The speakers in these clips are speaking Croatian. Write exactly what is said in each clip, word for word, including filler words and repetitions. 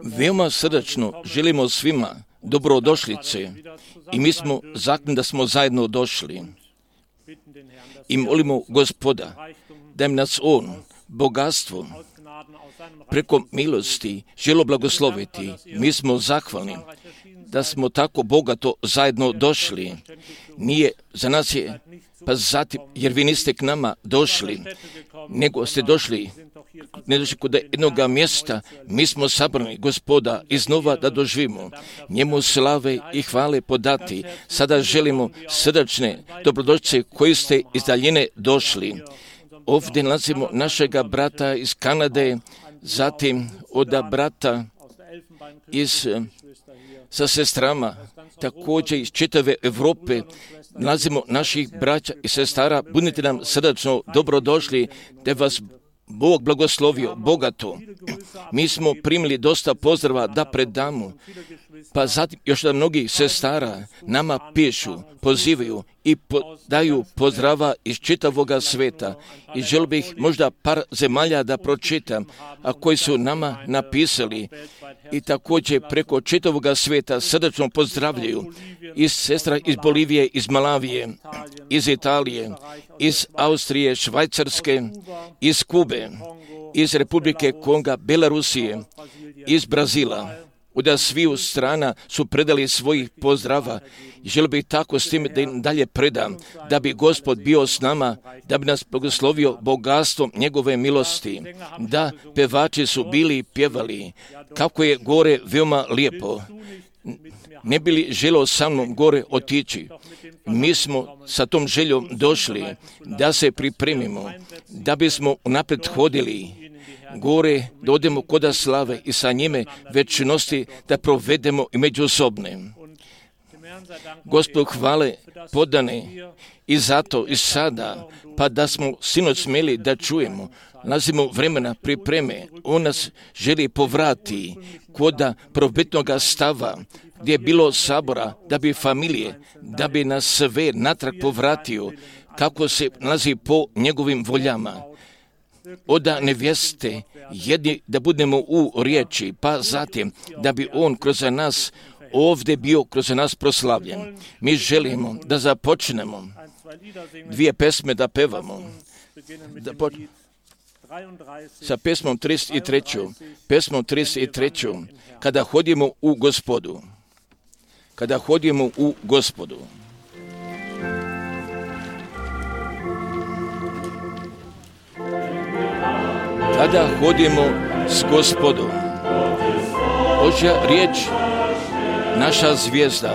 Veoma srdačno želimo svima dobrodošlice i mi smo zakljeni da smo zajedno došli i molimo Gospoda da im nas On bogatstvo preko milosti želo blagosloviti. Mi smo zahvalni da smo tako bogato zajedno došli. Nije za nas je, pa zatim, jer vi niste k nama došli, nego ste došli, ne došli kod jednog mjesta, mi smo sabrani Gospoda iznova da doživimo, njemu slave i hvale podati. Sada želimo srdačne dobrodošlice koji ste iz daljine došli. Ovdje nalazimo našega brata iz Kanade, zatim od brata iz, sa sestrama, također iz čitave Europe, nalazimo naših braća i sestara. Budite nam srdačno dobrodošli, da vas Bog blagoslovio bogato. Mi smo primili dosta pozdrava da predamo, pa zatim još da mnogi sestara nama pišu, pozivaju i po, daju pozdrava iz čitavoga sveta. I želio bih možda par zemalja da pročitam, a koji su nama napisali i također preko čitavoga sveta srdačno pozdravljaju. Iz sestra iz Bolivije, iz Malavije, iz Italije, iz Austrije, Švajcarske, iz Kube, iz Republike Konga, Belarusije, iz Brazila. Od sviju strana su predali svojih pozdrava i želio bih tako s tim da im dalje predam, da bi Gospod bio s nama, da bi nas blagoslovio bogatstvom njegove milosti, da pevači su bili i pjevali, kako je gore veoma lijepo. Ne bi li želio sa mnom gore otići? Mi smo sa tom željom došli da se pripremimo, da bismo unaprijed hodili gore, da odemo koda slave i sa njime večnosti da provedemo i međusobne. Gospod hvale podane i zato i sada, pa da smo sinoć smjeli da čujemo, nalazimo vremena pripreme. On nas želi povrati koda probitnoga stava, gdje je bilo sabora, da bi familije, da bi nas sve natrag povratio, kako se nalazi po njegovim voljama. Oda nevjeste, jedni da budemo u riječi, pa zatim da bi on kroz nas ovdje bio kroz nas proslavljen. Mi želimo da započnemo dvije pesme da pevamo. Da po... Sa pesmom trideset tri. Pesmom trideset tri. Kada hodimo u Gospodu. Kada hodimo u Gospodu. Kada hodimo s Gospodom. Božja riječ, naša zvijezda.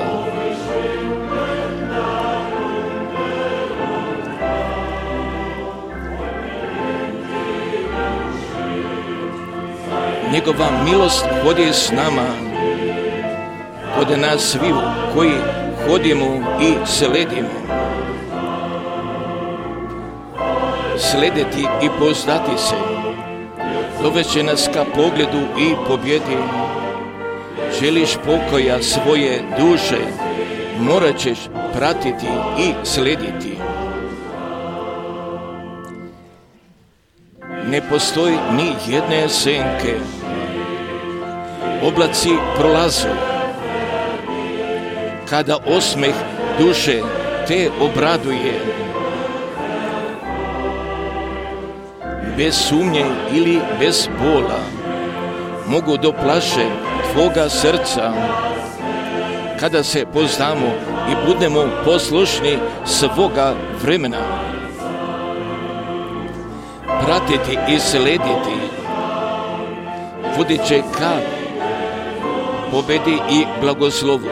Njegova milost hodi s nama, kod nas sviju koji hodimo i sledimo. Slediti i poznati se, doveće nas ka pogledu i pobjedi. Želiš pokoja svoje duše, morat ćeš pratiti i slediti. Ne postoji ni jedne senke, oblaci prolazu, kada osmeh duše te obraduje. Bez sumnje ili bez bola mogu do plaše tvoga srca, kada se poznamo i budemo poslušni svoga vremena. Pratiti i slediti vodit će ka pobedi i blagoslovu.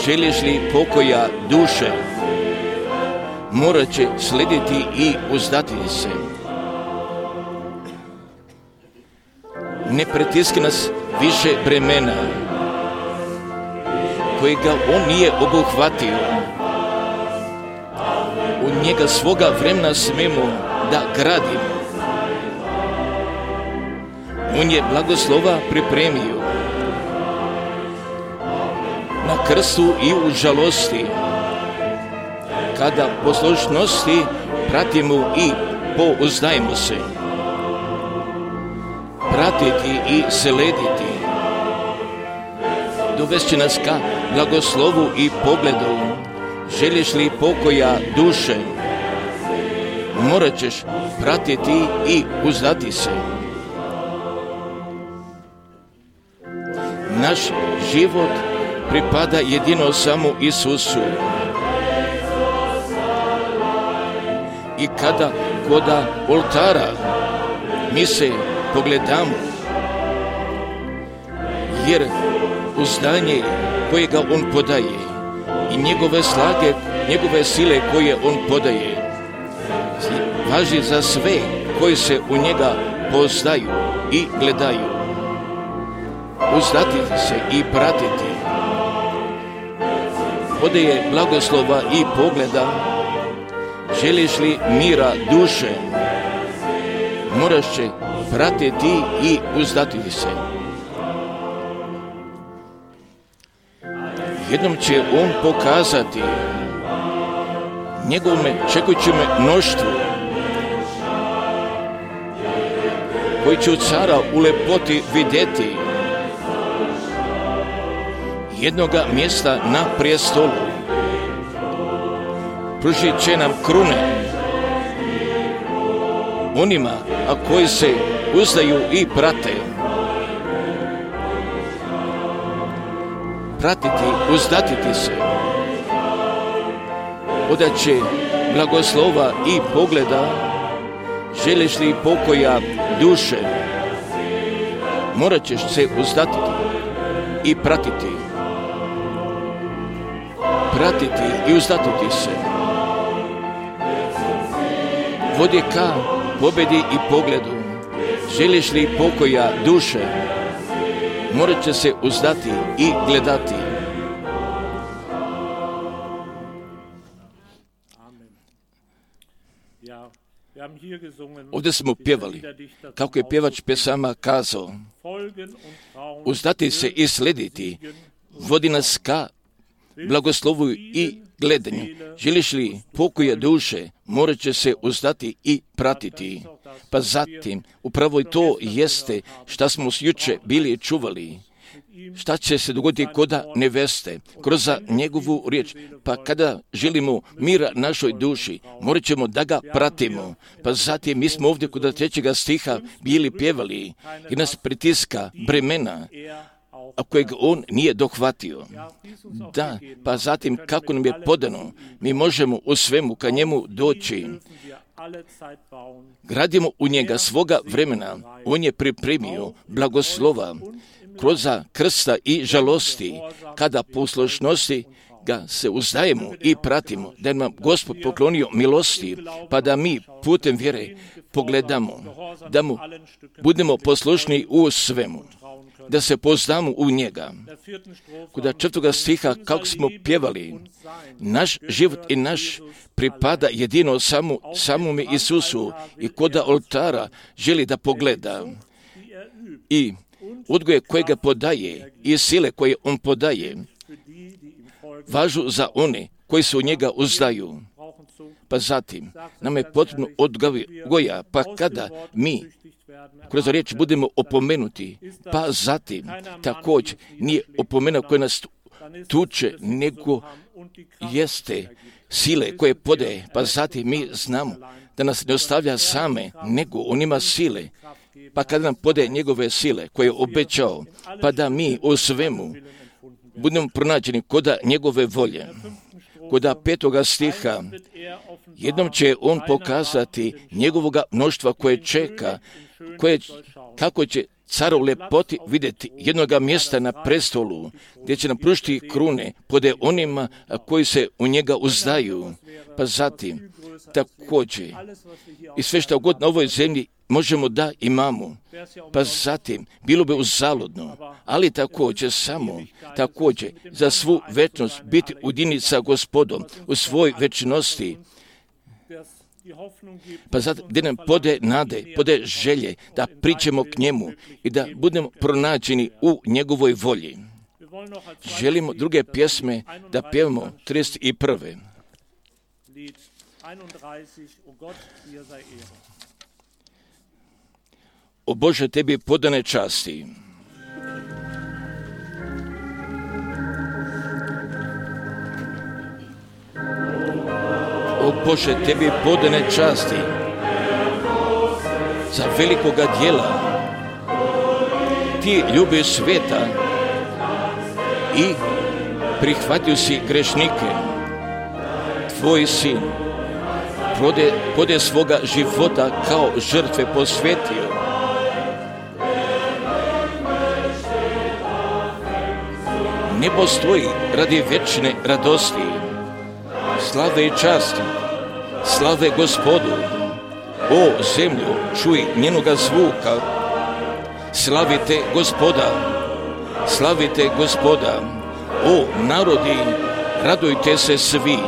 Želiš li pokoja duše, morat će slediti i uzdati se. Ne pritiski nas više bremena kojega on nije obuhvatio. U njega svoga vremena smemo da gradimo. On je blagoslova pripremio na krstu i u žalosti, kada poslušnosti pratimo i pouzdajemo se. pratiti i slediti. Dovest će nas ka blagoslovu i pogledu. Želiš li pokoja duše? Morat ćeš pratiti i uzdati se. Naš život pripada jedino samo Isusu. I kada kod oltara mi se pogledamo, jer uzdanje kojega on podaje i njegove snage, njegove sile koje on podaje, važi za sve koji se u njega poznaju i gledaju. Uzdati se i pratiti. Podaje blagoslova i pogleda. Želiš li mira duše? Moraš će pratiti i uzdati se. Jednom će on pokazati njegovome čekujućem mnoštvu koji će u cara u lepoti vidjeti jednoga mjesta na prijestolu. Pružit će nam krune onima a koji se uzdaju i prate. Pratiti, uzdatiti se. Odaće blagoslova i pogleda. Želiš li pokoja duše? Morat ćeš se uzdatiti i pratiti. Pratiti i uzdatiti se. Vodi ka pobjedi i pogledu. Želiš li pokoja duše? Morat će se uzdati i gledati. Ovdje smo pjevali, kako je pjevač pjesama kazao, uzdati se i slediti, vodi nas ka blagoslovu i gledanju. Želiš li pokoja duše, morat će se uzdati i pratiti. Pa zatim, upravo i to jeste šta smo juče bili čuvali. Šta će se dogoditi koda neveste, kroz njegovu riječ. Pa kada želimo mira našoj duši, morat ćemo da ga pratimo. Pa zatim mi smo ovdje kod trećega stiha bili pjevali i nas pritiska bremena, a kojeg on nije dohvatio. Da, pa zatim kako nam je podano, mi možemo u svemu ka njemu doći. Gradimo u njega svoga vremena. On je pripremio blagoslova kroz krsta i žalosti, kada poslušnosti ga se uzdajemo i pratimo, da nam Gospod poklonio milosti, pa da mi putem vjere pogledamo, da mu budemo poslušni u svemu, da se poznamo u njega. Kod četvrtoga stiha, kako smo pjevali, naš život i naš pripada jedino samo, samome Isusu i kod oltara želi da pogleda i odgoje kojega podaje i sile koje on podaje važu za one koji se u njega uzdaju. Pa zatim nam je potrebno odgoja, pa kada mi kroz riječ budemo opomenuti, pa zatim također nije opomena koja nas tuče, nego jeste sile koje podaje, pa zatim mi znamo da nas ne ostavlja same, nego on ima sile, pa kada nam podaje njegove sile koje je obećao, pa da mi u svemu budemo pronađeni koda njegove volje. Koda petoga stiha, jednom će on pokazati njegovoga mnoštva koje čeka, koje, kako će car u lepoti vidjeti jednoga mjesta na prestolu, gdje će nam pružiti krune pode onima koji se u njega uzdaju. Pa zatim, također, i sve što god na ovoj zemlji možemo da imamo, pa zatim, bilo bi uzaludno, ali također samo, također, za svu večnost biti ujedinjeni sa Gospodom u svoj večnosti, pa zato gdje nam pode nade, pode želje da priđemo k njemu i da budemo pronađeni u njegovoj volji. Želimo druge pjesme da pjevamo trideset prve. O Bože, tebi podane časti. O Bože, tebi podane časti za velikoga djela. Ti ljubiš sveta i prihvatio si grešnike. Tvoj sin pode, pode svoga života kao žrtve posvetio. Nebo stoji radi večne radosti, slave i časti, slave Gospodu. O zemlju, čuj njenoga zvuka, slavite Gospoda, slavite Gospoda. O narodi, radujte se svi.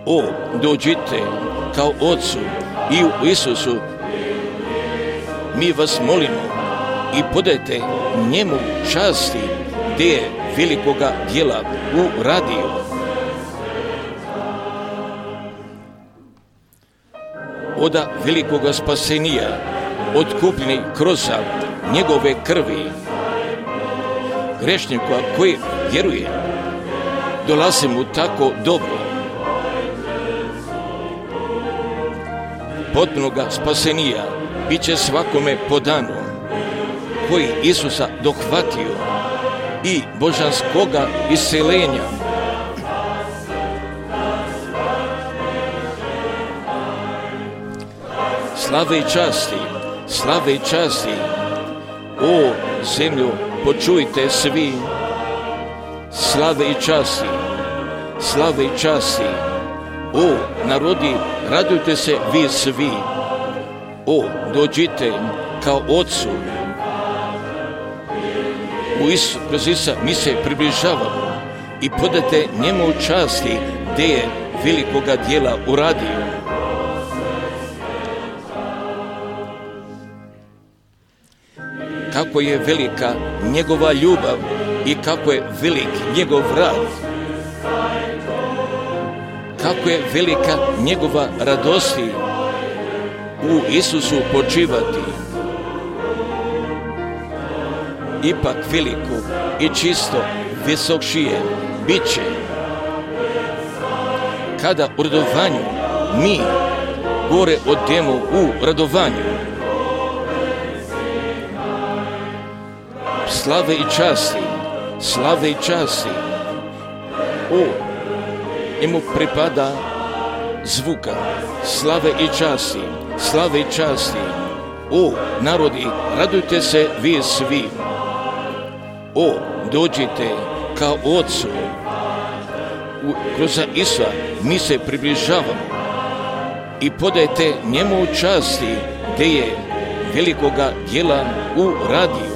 O, dođite kao Otcu i u Isusu. Mi vas molimo i podajte njemu časti gdje je velikoga djela uradio. Oda velikoga spasenija, otkupljeni kroz njegove krvi. Grešnika koji vjeruje, dolazi mu tako dobro. Potpunoga spasenija bit će svakome podano, koji Isusa dohvatio i božanskoga isceljenja. Slave i časti, slave i časti, o zemlju, počujte svi. Slave i časti, slave i časti, o narodi, radujte se vi svi. O, dođite kao Otcu. U Isu, kroz Isusa mi se približavamo i podate njemu časti gdje je velikoga djela uradio. Kako je velika njegova ljubav i kako je velik njegov rad. Kako je velika njegova radosti u Isusu počivati. Ipak veliko i čisto visokšije bit će kada u radovanju mi gore odemo u radovanju. Slave i časti, slave i časti, o, njemu pripada zvuka, slave i časti, slave i časti, o, narodi, radujte se vi svi, o, dođite kao Otcu, u, kroz Isusa mi se približavamo i podajte njemu časti gdje je velikoga djela uradio.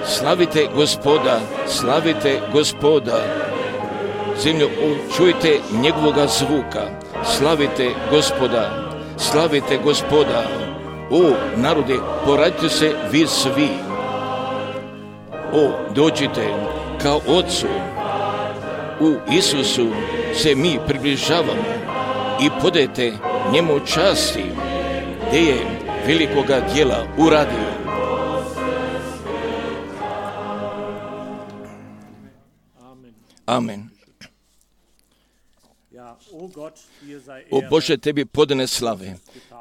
Slavite Gospoda, slavite Gospoda. Zemljo, čujte njegovoga zvuka. Slavite Gospoda, slavite Gospoda. O, narode, poradite se vi svi. O, dođite kao Otcu. U Isusu se mi približavamo i podajte njemu časti gdje je velikoga djela uradio. Amen. O Bože, tebi podane slave,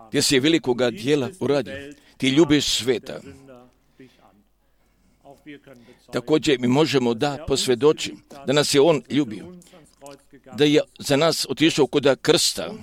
gdje si velikoga djela uradio, ti ljubiš sveta. Također mi možemo da posvjedočim da nas je On ljubio, da je za nas otišao kod krsta,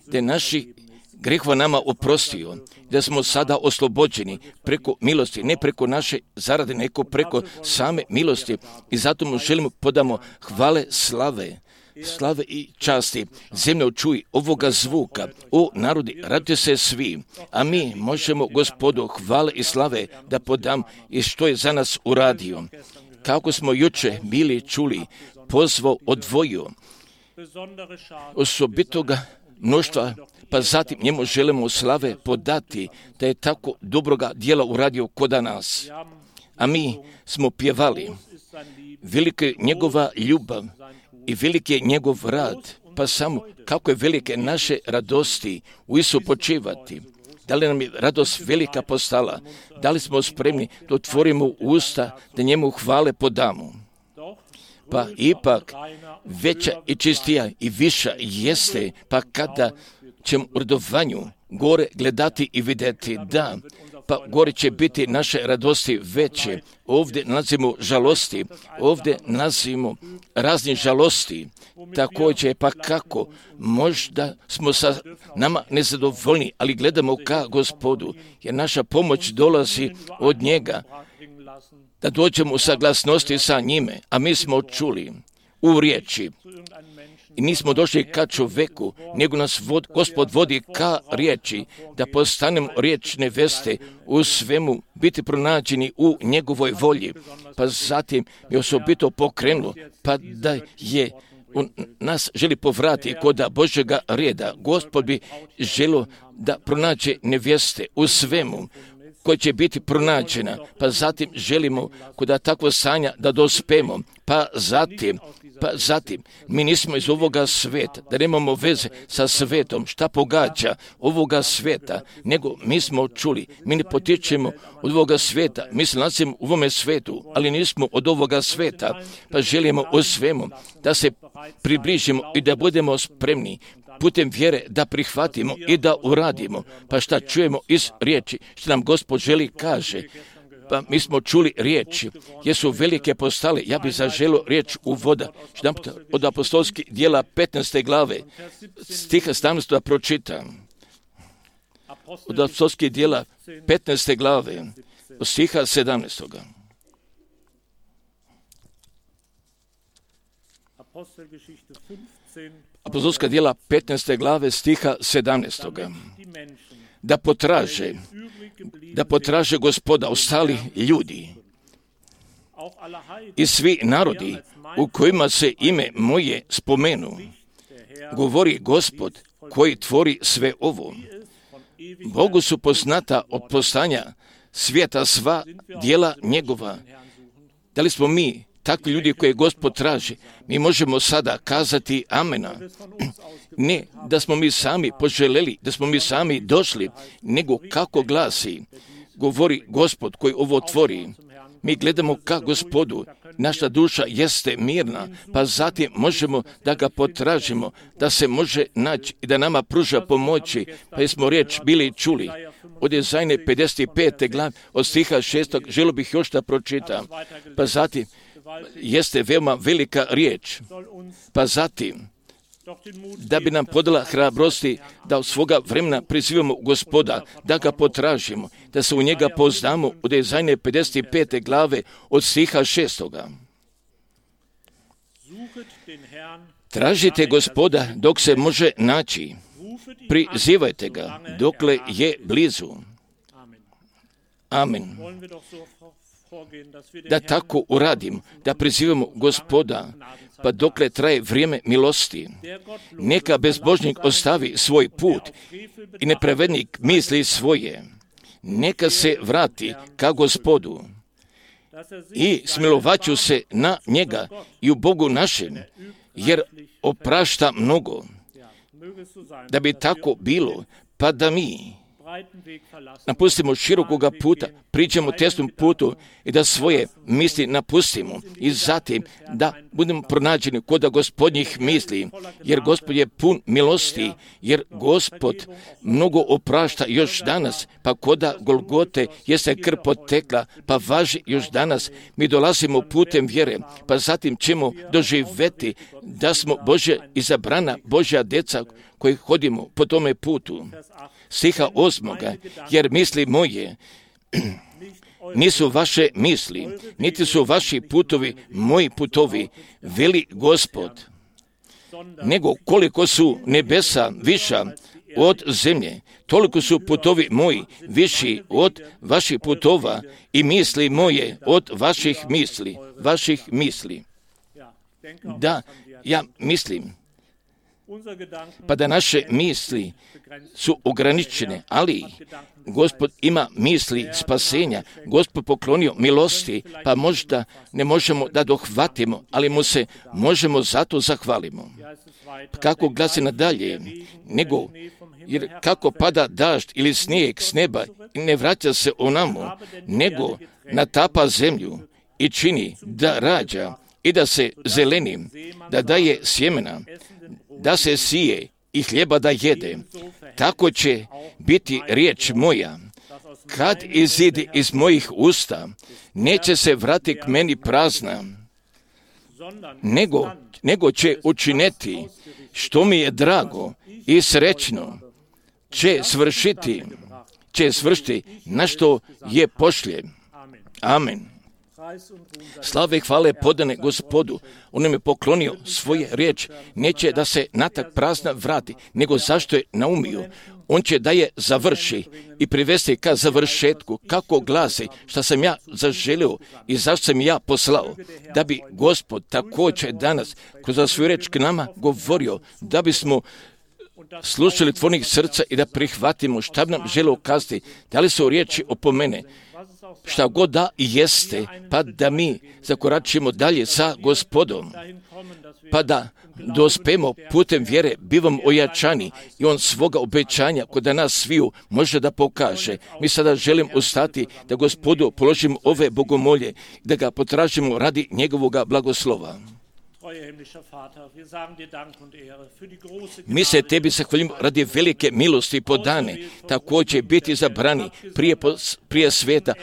da je naši grehova nama oprostio, da smo sada oslobođeni preko milosti, ne preko naše zarade, nego preko same milosti. I zato mu želimo podamo hvale, slave, slave i časti. Zemljo, čuj ovoga zvuka. O narodi, radite se svi. A mi možemo Gospodu hvale i slave da podam i što je za nas uradio. Kako smo juče bili čuli, pozvao, odvojio osobitoga mnoštva, pa zatim njemu želimo slave podati da je tako dobroga djela uradio kod nas. A mi smo pjevali, velika je njegova ljubav i veliki je njegov rad pa samo kako je velike naše radosti u Isu počivati. Da li nam je radost velika postala? Da li smo spremni da otvorimo usta, da njemu hvale podamo? Pa ipak veća i čistija i viša jeste, pa kada ćemo u radovanju gore gledati i vidjeti, da, pa gore će biti naše radosti veće. Ovdje nalazimo žalosti, ovdje nalazimo raznih žalosti. Također, pa kako? Možda smo sa nama nezadovoljni, ali gledamo ka Gospodu, jer naša pomoć dolazi od njega, da dođemo u saglasnosti sa njime, a mi smo čuli u riječi. I nismo došli ka čoveku, nego nas vod, Gospod vodi ka riječi, da postanemo riječne veste u svemu, biti pronađeni u njegovoj volji. Pa zatim je osobito pokrenulo, pa da je u nas želi povrati kod Božjega reda. Gospod bi želio da pronađe nevjeste u svemu, koja će biti pronađena, pa zatim želimo kod takvo stanja da dospemo, pa zatim, pa zatim, mi nismo iz ovoga sveta, da nemamo veze sa svetom, šta pogađa ovoga sveta, nego mi smo čuli, mi ne potičemo od ovoga sveta, mi se nalazimo u ovome svetu, ali nismo od ovoga sveta, pa želimo u svemu da se približimo i da budemo spremni putem vjere da prihvatimo i da uradimo. Pa šta čujemo iz riječi, što nam Gospod želi kaže? Pa mi smo čuli riječi, jesu velike postale. Ja bih zaželio riječ u voda. Što od apostolskih dijela petnaeste glave, stiha sedamnaest da pročitam. Od apostolskih dijela petnaeste glave, od stiha sedamnaest. Apostolska djela petnaeste glave stiha sedamnaest. Da potraže, da potraže Gospoda ostali ljudi i svi narodi u kojima se ime moje spomenu, govori Gospod koji tvori sve ovo. Bogu su poznata od postanja svijeta sva djela njegova. Da li smo mi takvi ljudi koje Gospod traži? Mi možemo sada kazati amena. Ne da smo mi sami poželjeli, da smo mi sami došli, nego kako glasi, govori Gospod koji ovo tvori. Mi gledamo ka Gospodu, naša duša jeste mirna, pa zatim možemo da ga potražimo, da se može naći i da nama pruža pomoći, pa smo riječ bili čuli. Od Jezajne pedeset pete glave, od stiha šestog, želio bih još da pročitam, pa zatim jeste veoma velika riječ, pa zatim da bi nam podala hrabrosti da od svoga vremena prizivamo Gospoda, da ga potražimo, da se u njega poznamo od Jezajne pedeset pete glave od stiha šestoga. Tražite Gospoda dok se može naći, prizivajte ga dokle je blizu. Amen. Da tako uradim, da prizivamo Gospoda, pa dokle traje vrijeme milosti. Neka bezbožnik ostavi svoj put i nepravednik misli svoje. Neka se vrati ka Gospodu i smilovaću se na njega i u Bogu našem, jer oprašta mnogo. Da bi tako bilo, pa da mi napustimo širokoga puta, priđemo tesnom putu i da svoje misli napustimo i zatim da budemo pronađeni kod Gospodnjih misli, jer Gospod je pun milosti, jer Gospod mnogo oprašta još danas, pa koda Golgote jeste krv potekla, pa važi još danas. Mi dolazimo putem vjere, pa zatim ćemo doživjeti da smo Božja izabrana, Božja djeca koji hodimo po tome putu. Stiha osmoga, jer misli moje nisu vaše misli, niti su vaši putovi moji putovi, veli Gospod, nego koliko su nebesa viša od zemlje, toliko su putovi moji viši od vaših putova i misli moje od vaših misli, vaših misli. Da, ja mislim, pa da naše misli su ograničene, ali Gospod ima misli spasenja, Gospod poklonio milosti, pa možda ne možemo da dohvatimo, ali mu se možemo zato zahvalimo. kako glasi nadalje, nego, jer kako pada dažd ili snijeg s neba i ne vraća se onamo, nego natapa zemlju i čini da rađa i da se zeleni, da daje sjemena, da se sije i hljeba da jede, tako će biti riječ moja. Kad izide iz mojih usta, neće se vrati k meni prazna, nego, nego će učiniti što mi je drago i srećno, će svršiti, će svršiti na što je pošlje. Amen. Slave i hvale podane Gospodu. On nam je poklonio svoje riječ. Neće da se natak prazna vrati, nego zašto je naumio. On će da je završi i privesti ka završetku, kako glasi, šta sam ja zaželio i zašto sam ja poslao, da bi Gospod također danas kroz svoju riječ k nama govorio, da bismo slušali tvornih srca i da prihvatimo šta bi nam želio kazati, da li su riječi opomene, šta god da jeste, pa da mi zakoračimo dalje sa Gospodom, pa da dospemo putem vjere, bivamo ojačani i on svoga obećanja kod nas sviju može da pokaže. Mi sada želim ustati da Gospodu položimo ove bogomolje, da ga potražimo radi njegovoga blagoslova. Mi se tebi zahvaljujemo radi velike milosti podane, također biti izabrani prije, prije svijeta,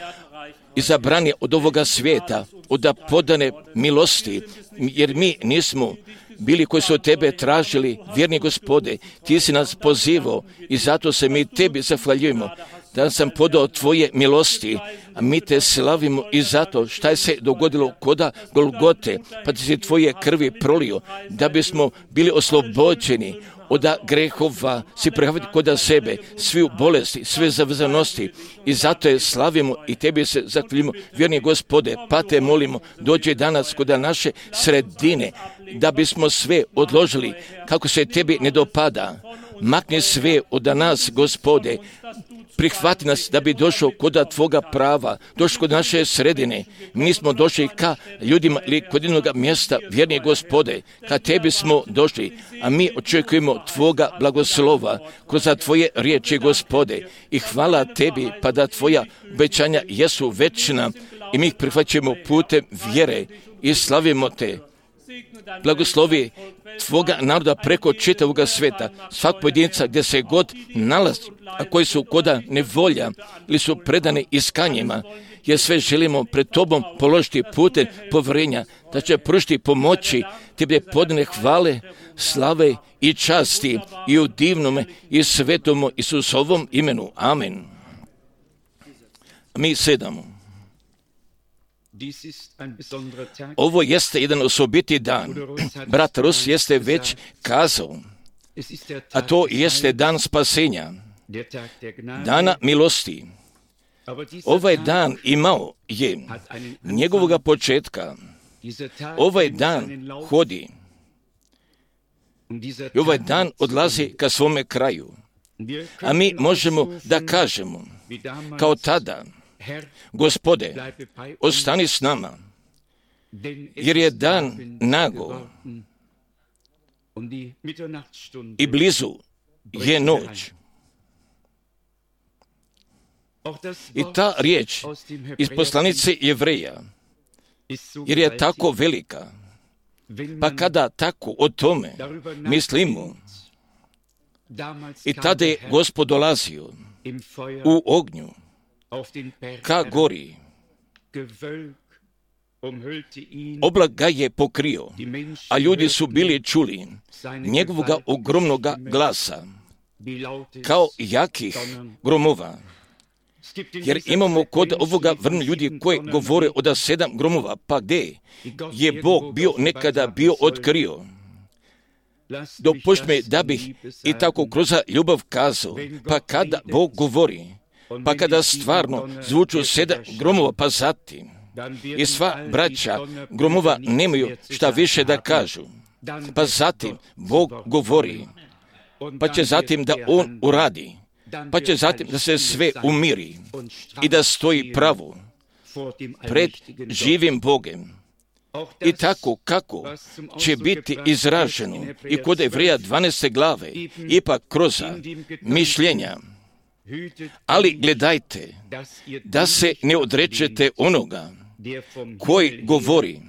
izabrani od ovoga svijeta, od podane milosti, jer mi nismo bili koji su od tebe tražili, vjerni Gospode, ti si nas pozivao i zato se mi tebi zahvaljujemo. Da sam podao tvoje milosti, a mi te slavimo i zato šta je se dogodilo koda Golgote, pa ti si tvoje krvi prolio, da bismo bili oslobođeni od grehova, si prihvatiti koda sebe, svi bolesti, sve zavezanosti i zato je slavimo i tebi se zahvaljujemo, vjerni Gospode, pa te molimo, dođe danas koda naše sredine, da bismo sve odložili kako se tebi ne dopada. Makni sve od nas, Gospode, prihvati nas da bi došao kod tvoga prava, došao kod naše sredine. Mi smo došli ka ljudima ili kod jednog mjesta, vjerni Gospode, ka tebi smo došli, a mi očekujemo tvoga blagoslova kroz tvoje riječi, Gospode. I hvala tebi, pa da tvoja obećanja jesu večna i mi ih prihvaćamo putem vjere i slavimo te. Blagoslovi tvoga naroda preko čitavoga sveta, svak pojedinca gdje se god nalazi, a koji su koda nevolja ili su predani iskanjima, jer sve želimo pred tobom položiti putem povjerenja, da će pružiti pomoći tebe podane hvale, slave i časti i u divnome i svetomu Isusovom imenu. Amen. Mi sedamo. Ovo jeste jedan osobiti dan. Brat Rus jeste već kazao, a to jeste dan spasenja, dana milosti. Ovaj dan imao je njegovoga početka. Ovaj dan hodi. I ovaj dan odlazi ka svome kraju. A mi možemo da kažemo, kao tada, Gospode, ostani s nama, jer je dan nago i blizu je noć. I ta riječ iz poslanice Jevreja, jer je tako velika, pa kada tako o tome mislimo, i tada je Gospod dolazio u ognju, ka gori, oblak ga je pokrio, a ljudi su bili čuli njegovoga ogromnoga glasa, kao jakih gromova. Jer imamo kod ovoga vrnu ljudi koji govore od sedam gromova, pa gdje je Bog bio nekada bio otkrio. Dopušti me da bih i tako kroz ljubav kazao, pa kada Bog govori, pa kada stvarno zvuču sedam gromova, pa zatim i sva braća gromova nemaju šta više da kažu, pa zatim Bog govori, pa će zatim da On uradi, pa će zatim da se sve umiri i da stoji pravo pred živim Bogem I tako kako će biti izraženo i kod Evreja dvanaeste glave, ipak kroz mišljenja. Ali gledajte, da se ne odrečete onoga koji govori,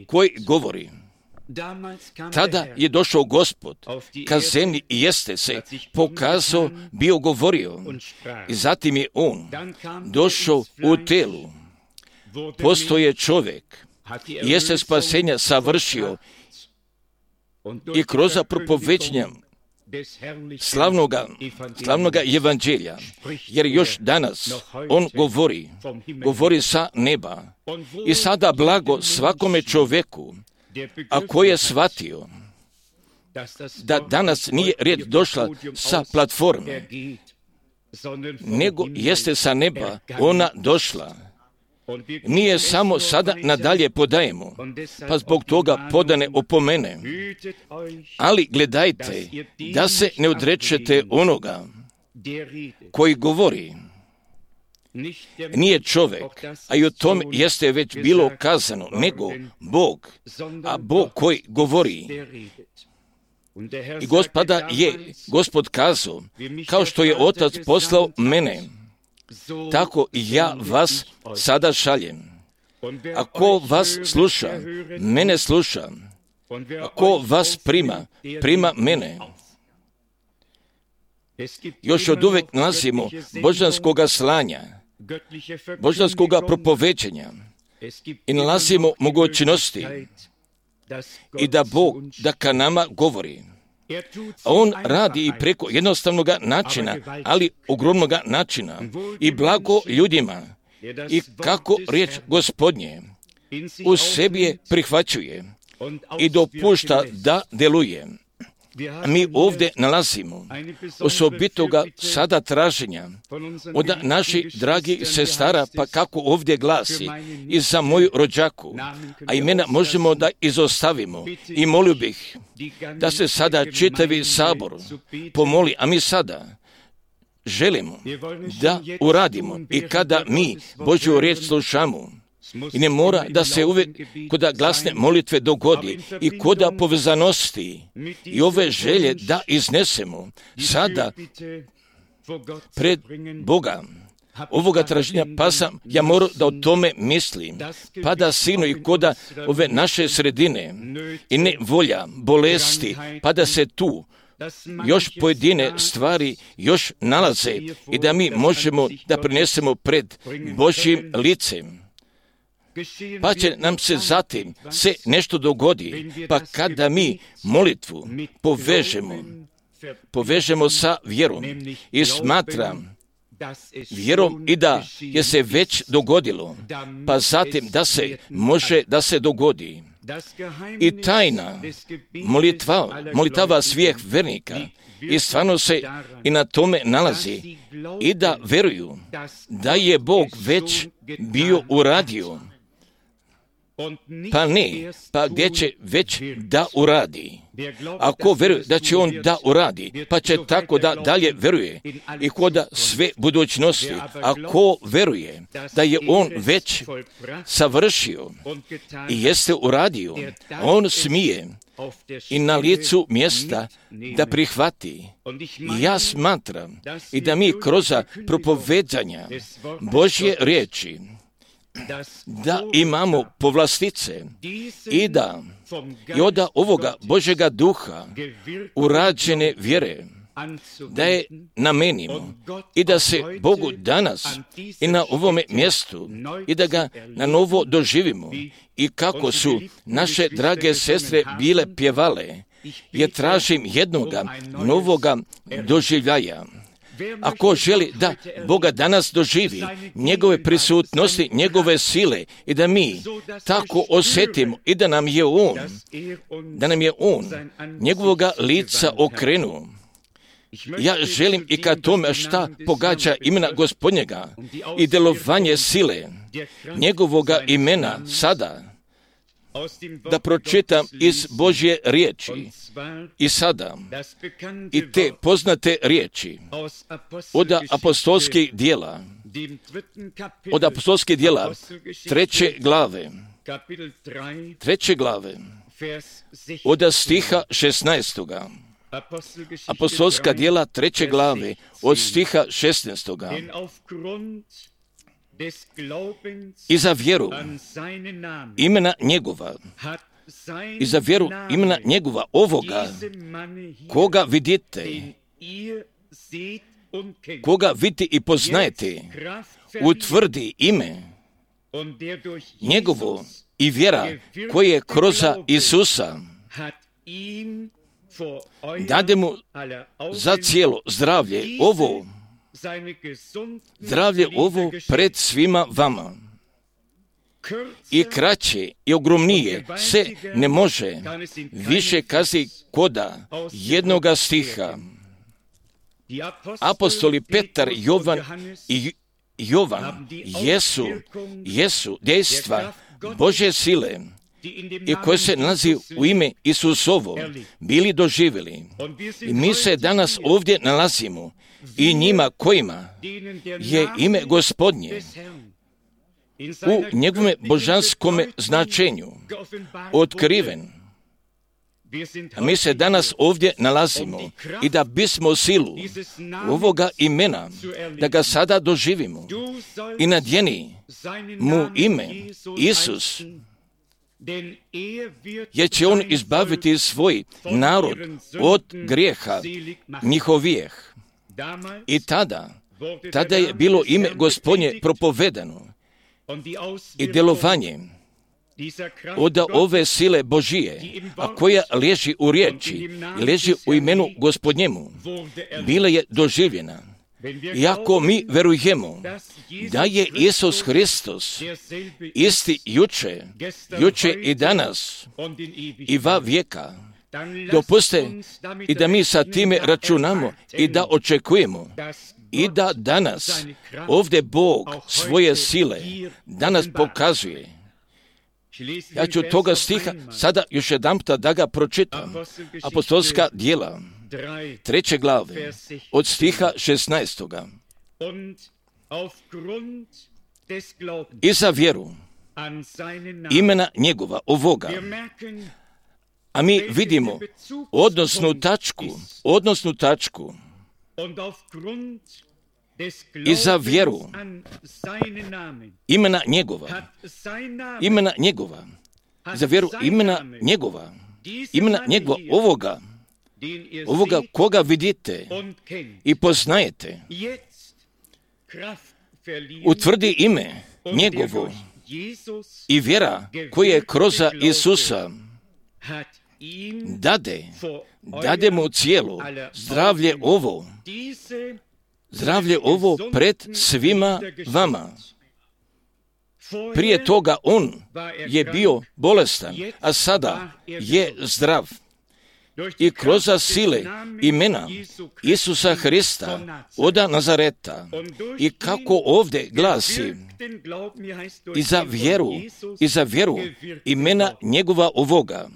koji govori. Tada je došao Gospod ka zemlji i jeste se pokazao, bio govorio. I zatim je on došao u telu. Postoje čovjek, jeste spasenja savršio i kroz propoveđenja slavnoga, slavnoga evanđelja, jer još danas on govori, govori sa neba. I sada blago svakome čovjeku, a koji je shvatio da danas nije riječ došla sa platforme, nego jeste sa neba ona došla. Nije samo sada nadalje podajemo, pa zbog toga podane opomene. Ali gledajte, da se ne odrečete onoga koji govori. Nije čovjek, a i o tom jeste već bilo kazano, nego Bog, a Bog koji govori. I Gospoda je, Gospod kazao, kao što je Otac poslao mene, tako i ja vas sada šaljem. A ko vas sluša, mene sluša. A ko vas prima, prima mene. Još od uvek nalazimo božanskoga slanja, božanskoga propoveđenja i nalazimo mogućnosti i da Bog da ka nama govori. A on radi i preko jednostavnog načina, ali ogromnog načina i blago ljudima i kako riječ Gospodnje u sebi je prihvaćuje i dopušta da deluje. Mi ovdje nalazimo osobitoga sada traženja od naših dragih sestara, pa kako ovdje glasi, i za moju rođaku, a imena možemo da izostavimo. I molio bih da se sada čitavi sabor pomoli, a mi sada želimo da uradimo i kada mi Božju riječ slušamo. I ne mora da se uvijek koda glasne molitve dogodi i koda povezanosti i ove želje da iznesemo sada pred Boga. Ovoga traženja pa sam ja moram da o tome mislim, pa da sinu i koda ove naše sredine i ne volja, bolesti, pa da se tu još pojedine stvari još nalaze i da mi možemo da prinesemo pred Božjim licem. Pa će nam se zatim se nešto dogodi, pa kada mi molitvu povežemo, povežemo sa vjerom i smatram vjerom i da je se već dogodilo, pa zatim da se može da se dogodi. I tajna molitva, molitava svih vernika i stvarno se i na tome nalazi i da veruju da je Bog već bio uradio. Pa ne, pa gdje će već da uradi. Ako veruje da će on da uradi, pa će tako da dalje veruje i koda sve budućnosti. Ako veruje da je on već savršio i jeste uradio, on smije i na licu mjesta da prihvati. Ja smatram i da mi kroz propovedanja Božje riječi da imamo povlastice i da i od ovoga Božjega duha urađene vjere da je namenimo i da se Bogu danas i na ovome mjestu i da ga na novo doživimo i kako su naše drage sestre bile pjevale, jer tražim jednoga novoga doživljaja. Ako želi da Boga danas doživi, njegove prisutnosti, njegove sile i da mi tako osjetimo i da nam je On, da nam je On njegovoga lica okrenuo. Ja želim i ka tome šta pogađa imena Gospodnjega i delovanje sile njegovoga imena sada, da pročitam iz Božje riječi i sada i te poznate riječi od apostolskih dijela, od apostolskih dijela treće glave treće glave, od stiha šesnaestoga. Apostolska djela treće glave, od stiha šesnaestoga. I za vjeru imena njegova, i za vjeru imena njegova ovoga, koga vidite, koga vidite i poznajete, utvrdi ime njegovo i vjera koje je kroz Isusa dade mu za cijelo zdravlje ovo, zdravlje ovo pred svima vama. I kraće i ogromnije se ne može više kazi koda jednoga stiha. Apostoli Petar, Jovan i Jovan jesu, jesu dejstva Božje sile i koje se nalazi u ime Isusovo bili doživjeli. I mi se danas ovdje nalazimo i njima kojima je ime Gospodnje u njegovom božanskom značenju otkriven. A mi se danas ovdje nalazimo i da bismo silu ovoga imena, da ga sada doživimo i nadjeni mu ime Isus, jer će on izbaviti svoj narod od grijeha njihovijeh. I tada, tada je bilo ime Gospodnje propovedano i djelovanje od ove sile Božije, a koja leži u riječi, leži u imenu Gospodnjemu, bila je doživljena. Iako mi verujemo da je Isus Hristos isti juče, juče i danas i va vijeka, dopuste i da mi sa time računamo i da očekujemo i da danas ovdje Bog svoje sile danas pokazuje. Ja ću toga stiha sada još jedanputa da ga pročitam. Apostolska djela treće glave od stiha šesnaestoga. I za vjeru imena njegova ovoga. A mi vidimo odnosnu tačku, odnosnu tačku i za vjeru imena njegova, imena njegova, za vjeru imena njegova, imena njegova ovoga, ovoga koga vidite i poznajete, utvrdi ime njegovo i vjera koja je kroz Isusa dade, dade mu cijelo zdravlje ovo, zdravlje ovo pred svima vama. Prije toga on je bio bolestan, a sada je zdrav. I kroz sile imena Isusa Hrista od Nazareta. I kako ovdje glasi, i za vjeru, i za vjeru imena njegova ovoga,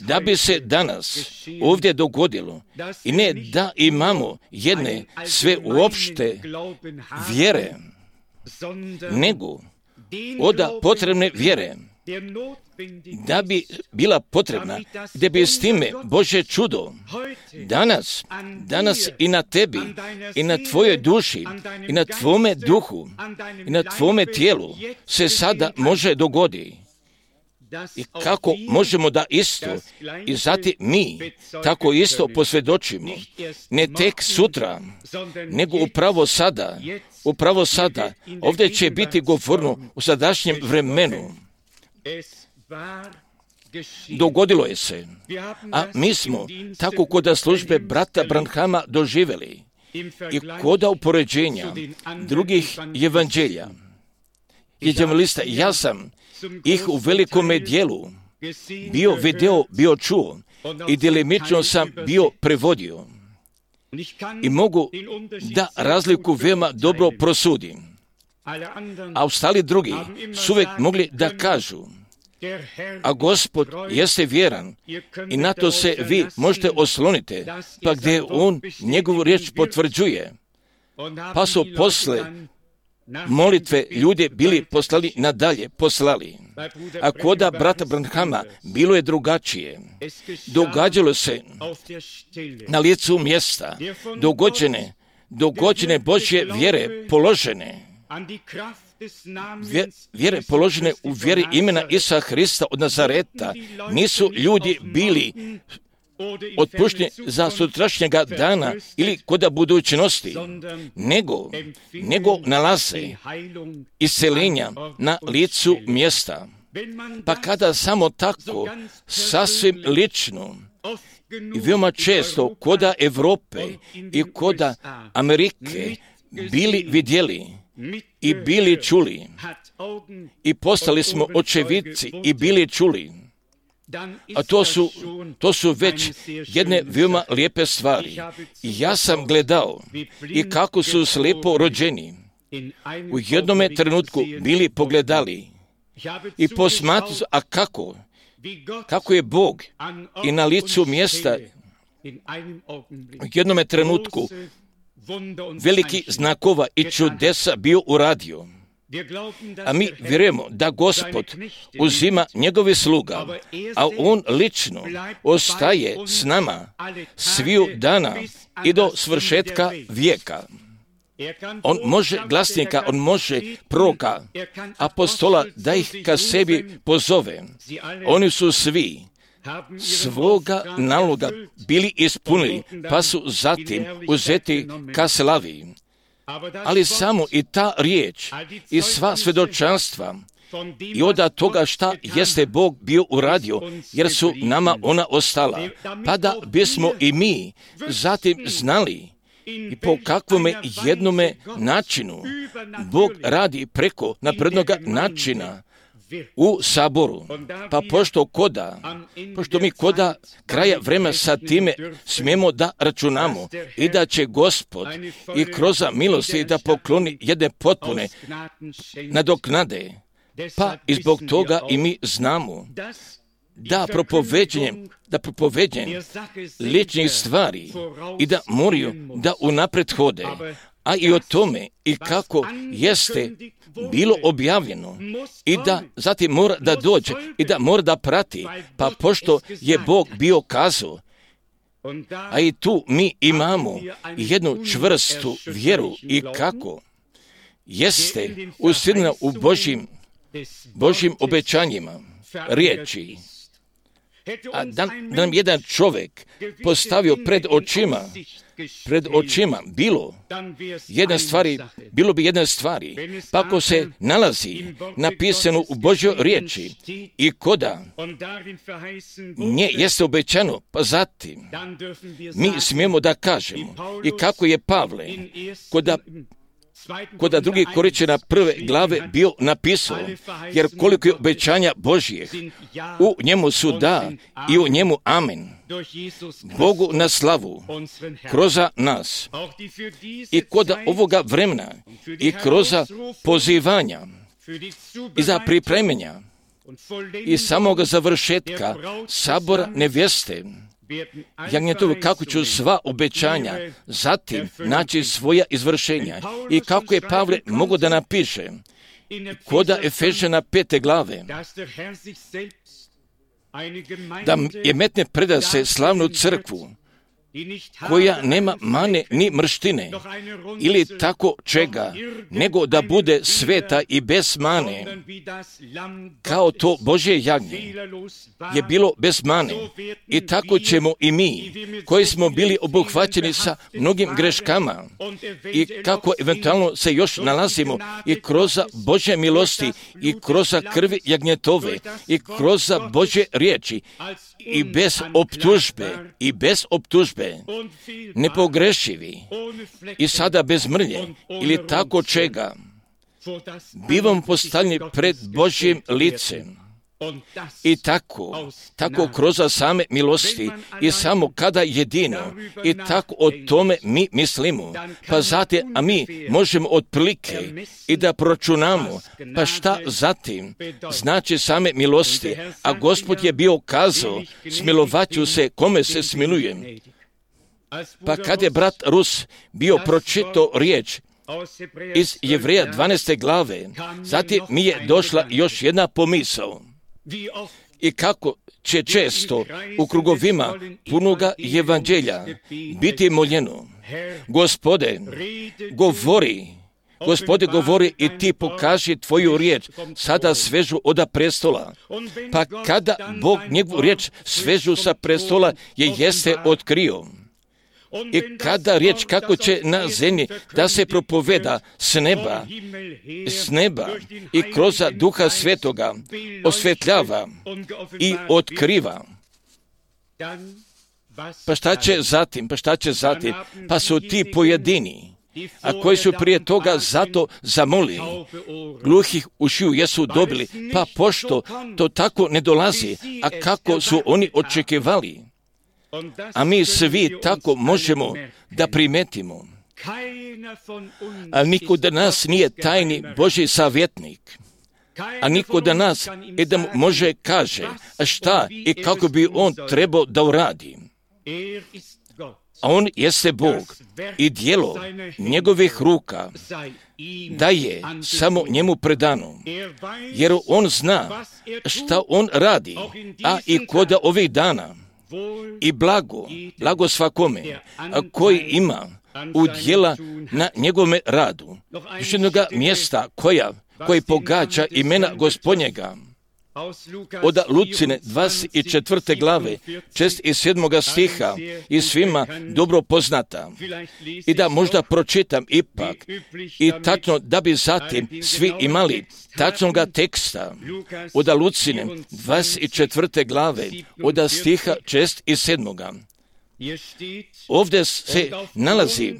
da bi se danas ovdje dogodilo i ne da imamo jedne sve uopšte vjere, nego od potrebne vjere, da bi bila potrebna, da bi s time Božje čudo danas, danas i na tebi, i na tvojoj duši, i na tvome duhu, i na tvome tijelu se sada može dogoditi. I kako možemo da isto i zatim mi tako isto posvjedočimo, ne tek sutra, nego upravo sada, upravo sada, ovdje će biti govorno u sadašnjem vremenu. Dogodilo je se, a mi smo tako kod službe brata Branhama doživjeli i kod upoređenja drugih evanđelja. Evanđelista, ja sam ih u velikome dijelu bio video, bio čuo i djelimično sam bio prevodio. I mogu da razliku veoma dobro prosudim. A ostali drugi su uvijek mogli da kažu, a Gospod jeste vjeran i na to se vi možete osloniti, pa gdje on njegovu riječ potvrđuje. Pa su posle molitve ljude bili poslali nadalje, poslali. A koda brata Branhama bilo je drugačije. Događalo se na licu mjesta, dogođene, dogođene Božje vjere položene, vjere položene u vjeri imena Isusa Hrista od Nazareta. Nisu ljudi bili otpušteni za sutrašnjega dana ili koda budućnosti, nego, nego nalaze isceljenja na licu mjesta. Pa kada samo tako, sasvim lično i veoma često koda Evrope i koda Amerike bili vidjeli i bili čuli i postali smo očevidci i bili čuli, a to su, to su već jedne veoma lijepe stvari. I ja sam gledao i kako su slijepo rođeni u jednome trenutku bili pogledali i posmatrali, a kako, kako je Bog i na licu mjesta u jednome trenutku veliki znakova i čudesa bio uradio. A mi vjerujemo da Gospod uzima njegove sluga, a On lično ostaje s nama sviju dana i do svršetka vijeka. On može glasnika, on može proroka, apostola da ih ka sebi pozove. Oni su svi svoga naloga bili ispunili, pa su zatim uzeti ka slavi. Ali samo i ta riječ i sva svjedočanstva i od toga šta jeste Bog bio uradio, jer su nama ona ostala, pa da bismo i mi zatim znali i po kakvome jednome načinu Bog radi preko naprednoga načina u saboru. Pa pošto koda, pošto mi koda kraja vremena sa time smijemo da računamo i da će Gospod i kroz milosti da pokloni jedne potpune nadoknade, pa i zbog toga i mi znamo da propoveđenjem, da propoveđenjem ličnih stvari i da moraju da unapred hode, a i o tome i kako jeste bilo objavljeno i da zatim mora da dođe i da mora da prati, pa pošto je Bog bio kazao, a i tu mi imamo jednu čvrstu vjeru i kako jeste usidna u Božjim, Božjim obećanjima riječi. A da, da nam jedan čovjek postavio pred očima, pred očima bilo jedna stvari, bilo bi jedna stvari, pa ako se nalazi napisano u Božjoj riječi i koda nje jeste obećano, pa zatim mi smijemo da kažemo i kako je Pavle koda Koda drugi Korinćana prve glave bio napisao, jer koliko je obećanja Božjih, u njemu su da i u njemu amen. Bogu na slavu, kroz nas i kod ovoga vremena i kroz pozivanja i za pripremenja i samog završetka sabora nevjeste, jagnjetovi, kako ću sva obećanja zatim naći svoja izvršenja i kako je Pavle mogao da napiše koda Efežana pete glave, da je metne preda se slavnu crkvu koja nema mane ni mrštine ili tako čega, nego da bude sveta i bez mane, kao to Božje jagnje je bilo bez mane. I tako ćemo i mi, koji smo bili obuhvaćeni sa mnogim greškama i kako eventualno se još nalazimo i kroz Božje milosti i kroz krvi jagnjetove i kroz Božje riječi i bez optužbe i bez optužbe nepogrešivi i sada bez mrlje ili tako čega, bivam postavljeni pred Božjim licem. I tako, tako kroz same milosti i samo kada jedino i tako o tome mi mislimo, pa zatim, a mi možemo otprilike i da proračunamo, pa šta zatim znači same milosti, a Gospod je bio kazao, smilovaću se kome se smilujem. Pa kad je brat Rus bio pročitao riječ iz Jevreja dvanaeste glave, zatim mi je došla još jedna pomisao. I kako će često u krugovima punoga evanđelja biti moljeno: Gospode, govori, Gospode, govori i ti pokaži tvoju riječ, sada svežu oda prestola. Pa kada Bog njegovu riječ svežu sa prestola je jeste otkrio. I kada riječ kako će na zemlji da se propoveda s neba, s neba i kroz Duha Svetoga osvetljava i otkriva. Pa šta će zatim? Pa šta će zatim? Pa su ti pojedini, a koji su prije toga zato zamolili, gluhih ušiju jesu dobili, pa pošto to tako ne dolazi, a kako su oni očekivali, a mi svi tako možemo da primetimo. A niko da nas nije tajni Božji savjetnik, a niko da nas i da može kaže šta i kako bi on trebao da uradi. A on jeste Bog i djelo njegovih ruka da je samo njemu predano, jer on zna šta on radi, a i kod ovih dana. I blago, blago svakome, a koji ima udjela na njegovome radu. Još jednoga mjesta koja, koji pogađa imena Gospodnjega. Od Lucine dvadeset četvrte glave, šest i sedmoga stiha, i svima dobro poznata. I da možda pročitam ipak, i tačno da bi zatim svi imali tačnoga teksta od Lucine dvadeset četvrte glave, od stiha šest i sedmoga. Ovdje se nalazi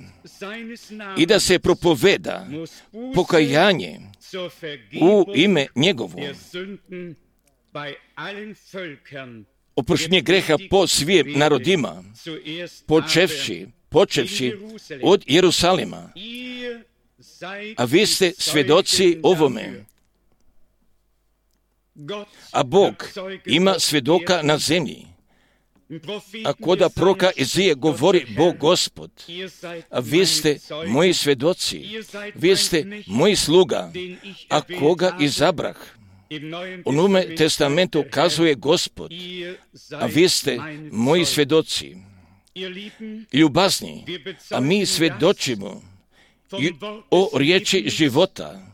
i da se propoveda pokajanje u ime njegovo, oproštenje greha po svim narodima, počevši, počevši od Jerusalima. A vi ste svjedoci ovome. A Bog ima svjedoka na zemlji. A koda proka Izije govori Bog Gospod, a vi ste moji svjedoci, vi ste moji sluga, a koga izabrah. U Novome testamentu kazuje Gospod, a vi ste moji svjedoci. Ljubazni, a mi svjedočimo o riječi života.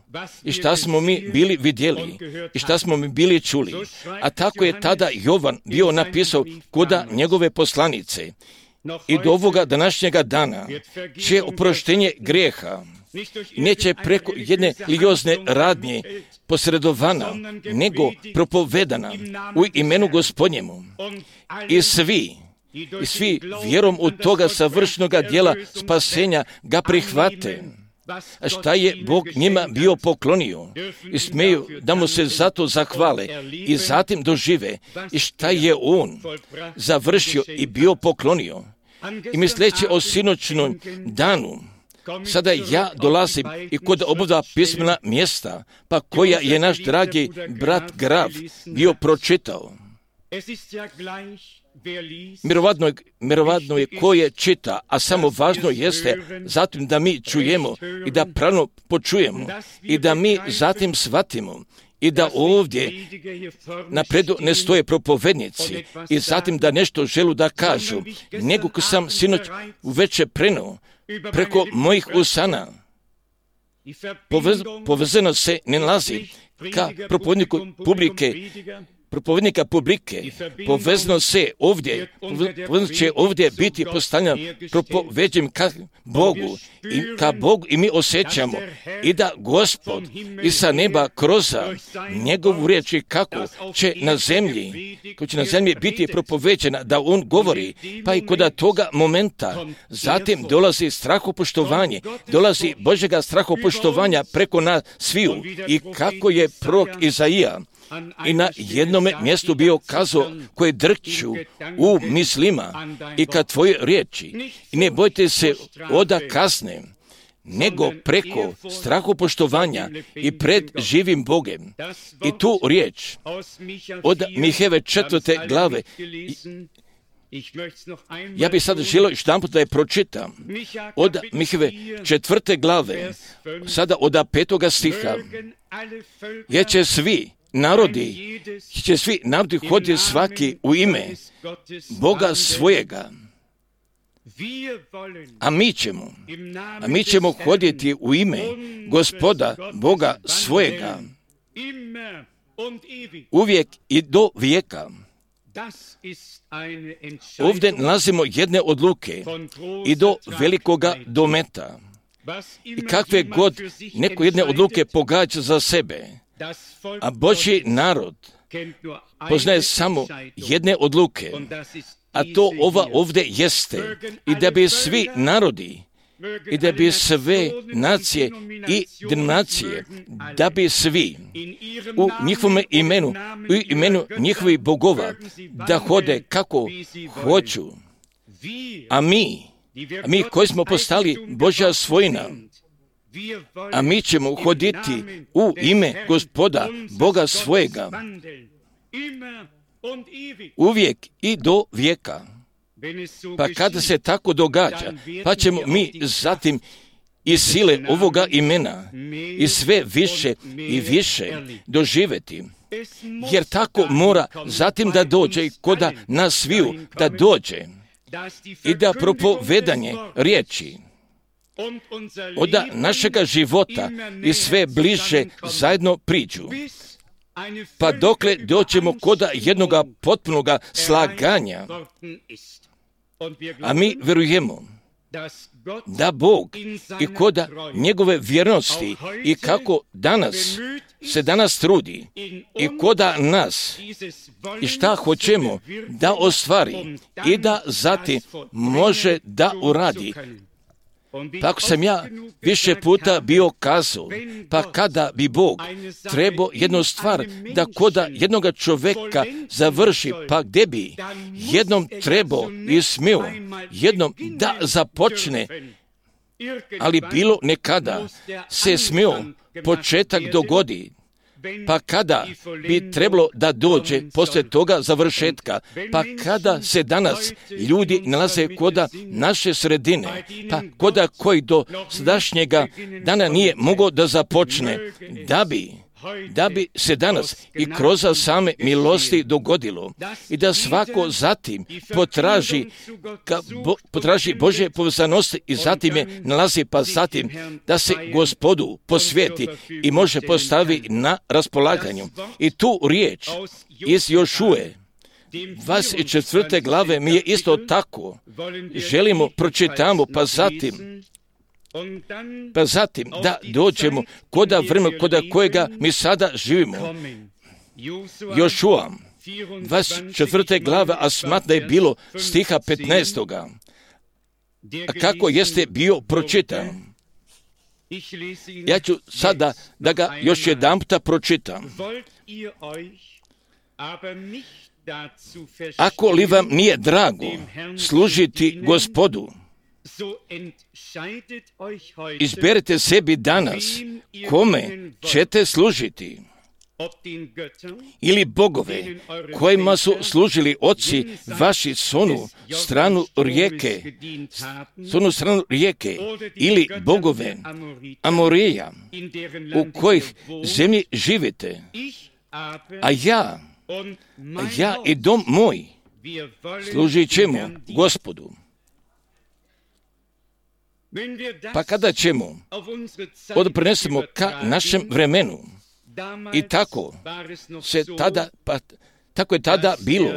I šta smo mi bili vidjeli, i šta smo mi bili čuli. A tako je tada Jovan bio napisao koda njegove poslanice. I do ovoga današnjega dana će oproštenje grijeha neće preko jedne religiozne radnje posredovana, nego propovedana u imenu Gospodnjemu. I svi, i svi vjerom u toga savršenoga djela spasenja ga prihvate. A šta je Bog njima bio poklonio i smeju da mu se zato zahvale i zatim dožive i šta je on završio i bio poklonio. I misleći o sinoćnom danu, sada ja dolazim i kod oboda pismena mjesta, pa koja je naš dragi brat Graf bio pročitao. Mirovatno, mirovatno je ko je čita, a samo važno jeste zatim da mi čujemo i da pravno počujemo i da mi zatim shvatimo i da ovdje napredu ne stoje propovednici i zatim da nešto želu da kažu, nego ko sam sinoć uveče prenuo preko mojih usana. Povez, povezano se ne nalazi ka propovedniku publike, propovednika publike, povezno se ovdje, povezno će ovdje biti postavljeno propoveđem ka Bogu i ka Bogu i mi osjećamo i da Gospod i sa neba kroz njegovu riječ i kako će na zemlji, kako će na zemlji biti propoveđena, da on govori, pa i kod toga momenta zatim dolazi strahopoštovanje, dolazi Božjega strahopoštovanja preko nas sviju i kako je prorok Izaija i na jednome mjestu bio kazao koje drću u mislima i kad tvoje riječi i ne bojte se oda kasne, nego preko strahopoštovanja i pred živim Bogem. I tu riječ od Miheve četvrte glave Ja bih sad želio još jedan put da je pročitam od Miheve četvrte glave, sada od petoga stiha. Jer će svi narodi, će svi narodi hoditi svaki u ime Boga svojega. A mi ćemo, a mi ćemo hoditi u ime Gospoda Boga svojega uvijek i do vijeka. Ovdje nalazimo jedne odluke i do velikoga dometa. I kakve god neko jedne odluke pogađa za sebe, a Božji narod poznaje samo jedne odluke, a to ova ovdje jeste, i da bi svi narodi, i da bi sve nacije i denominacije, da bi svi u njihovom imenu, u imenu njihovih bogova, da hode kako hoću. A mi, a mi koji smo postali Božja svojina, a mi ćemo hoditi u ime Gospoda Boga svojega, uvijek i do vijeka. Pa kada se tako događa, pa ćemo mi zatim iz sile ovoga imena i sve više i više doživjeti. Jer tako mora zatim da dođe i koda nas sviju da dođe i da propovedanje riječi od našega života i sve bliže zajedno priđu. Pa dokle doćemo koda jednoga potpunoga slaganja, a mi vjerujemo da Bog i koda njegove vjernosti i kako danas se danas trudi i koda nas i šta hoćemo da ostvari i da zatim može da uradi. Pa ako sam ja više puta bio kazao, pa kada bi Bog trebao jednu stvar da koda jednoga čovjeka završi, pa gdje bi jednom trebao i smio jednom da započne, ali bilo nekada se smio početak dogodi, pa kada bi trebalo da dođe poslije toga završetka, pa kada se danas ljudi nalaze koda naše sredine, pa koda koji do sadašnjega dana nije mogao da započne, da bi da bi se danas i kroz same milosti dogodilo i da svako zatim potraži, ka, bo, potraži Božje povezanosti i zatim je nalazi, pa zatim da se Gospodu posvijeti i može postavi na raspolaganju. I tu riječ iz Jošue dvadeset četvrte glave mi je isto tako. Želimo, pročitamo, pa zatim Pa zatim da dođemo koda vremena koda kojega mi sada živimo. Jošua, dvadeset četvrte glave, a smatram da je bilo stiha petnaestoga. A kako jeste bio pročitan? Ja ću sada da ga još jedan puta pročitam. Ako li vam nije drago služiti Gospodu, izberite sebi danas kome ćete služiti, ili bogove kojima su služili oci vaši s onu stranu rijeke, s onu stranu rijeke, ili bogove Amorija u kojih zemlji živite, a ja, a ja i dom moj služit ćemo Gospodu. Pa kada ćemo odprenesemo ka našem vremenu, i tako se tada, pa tako je tada bilo,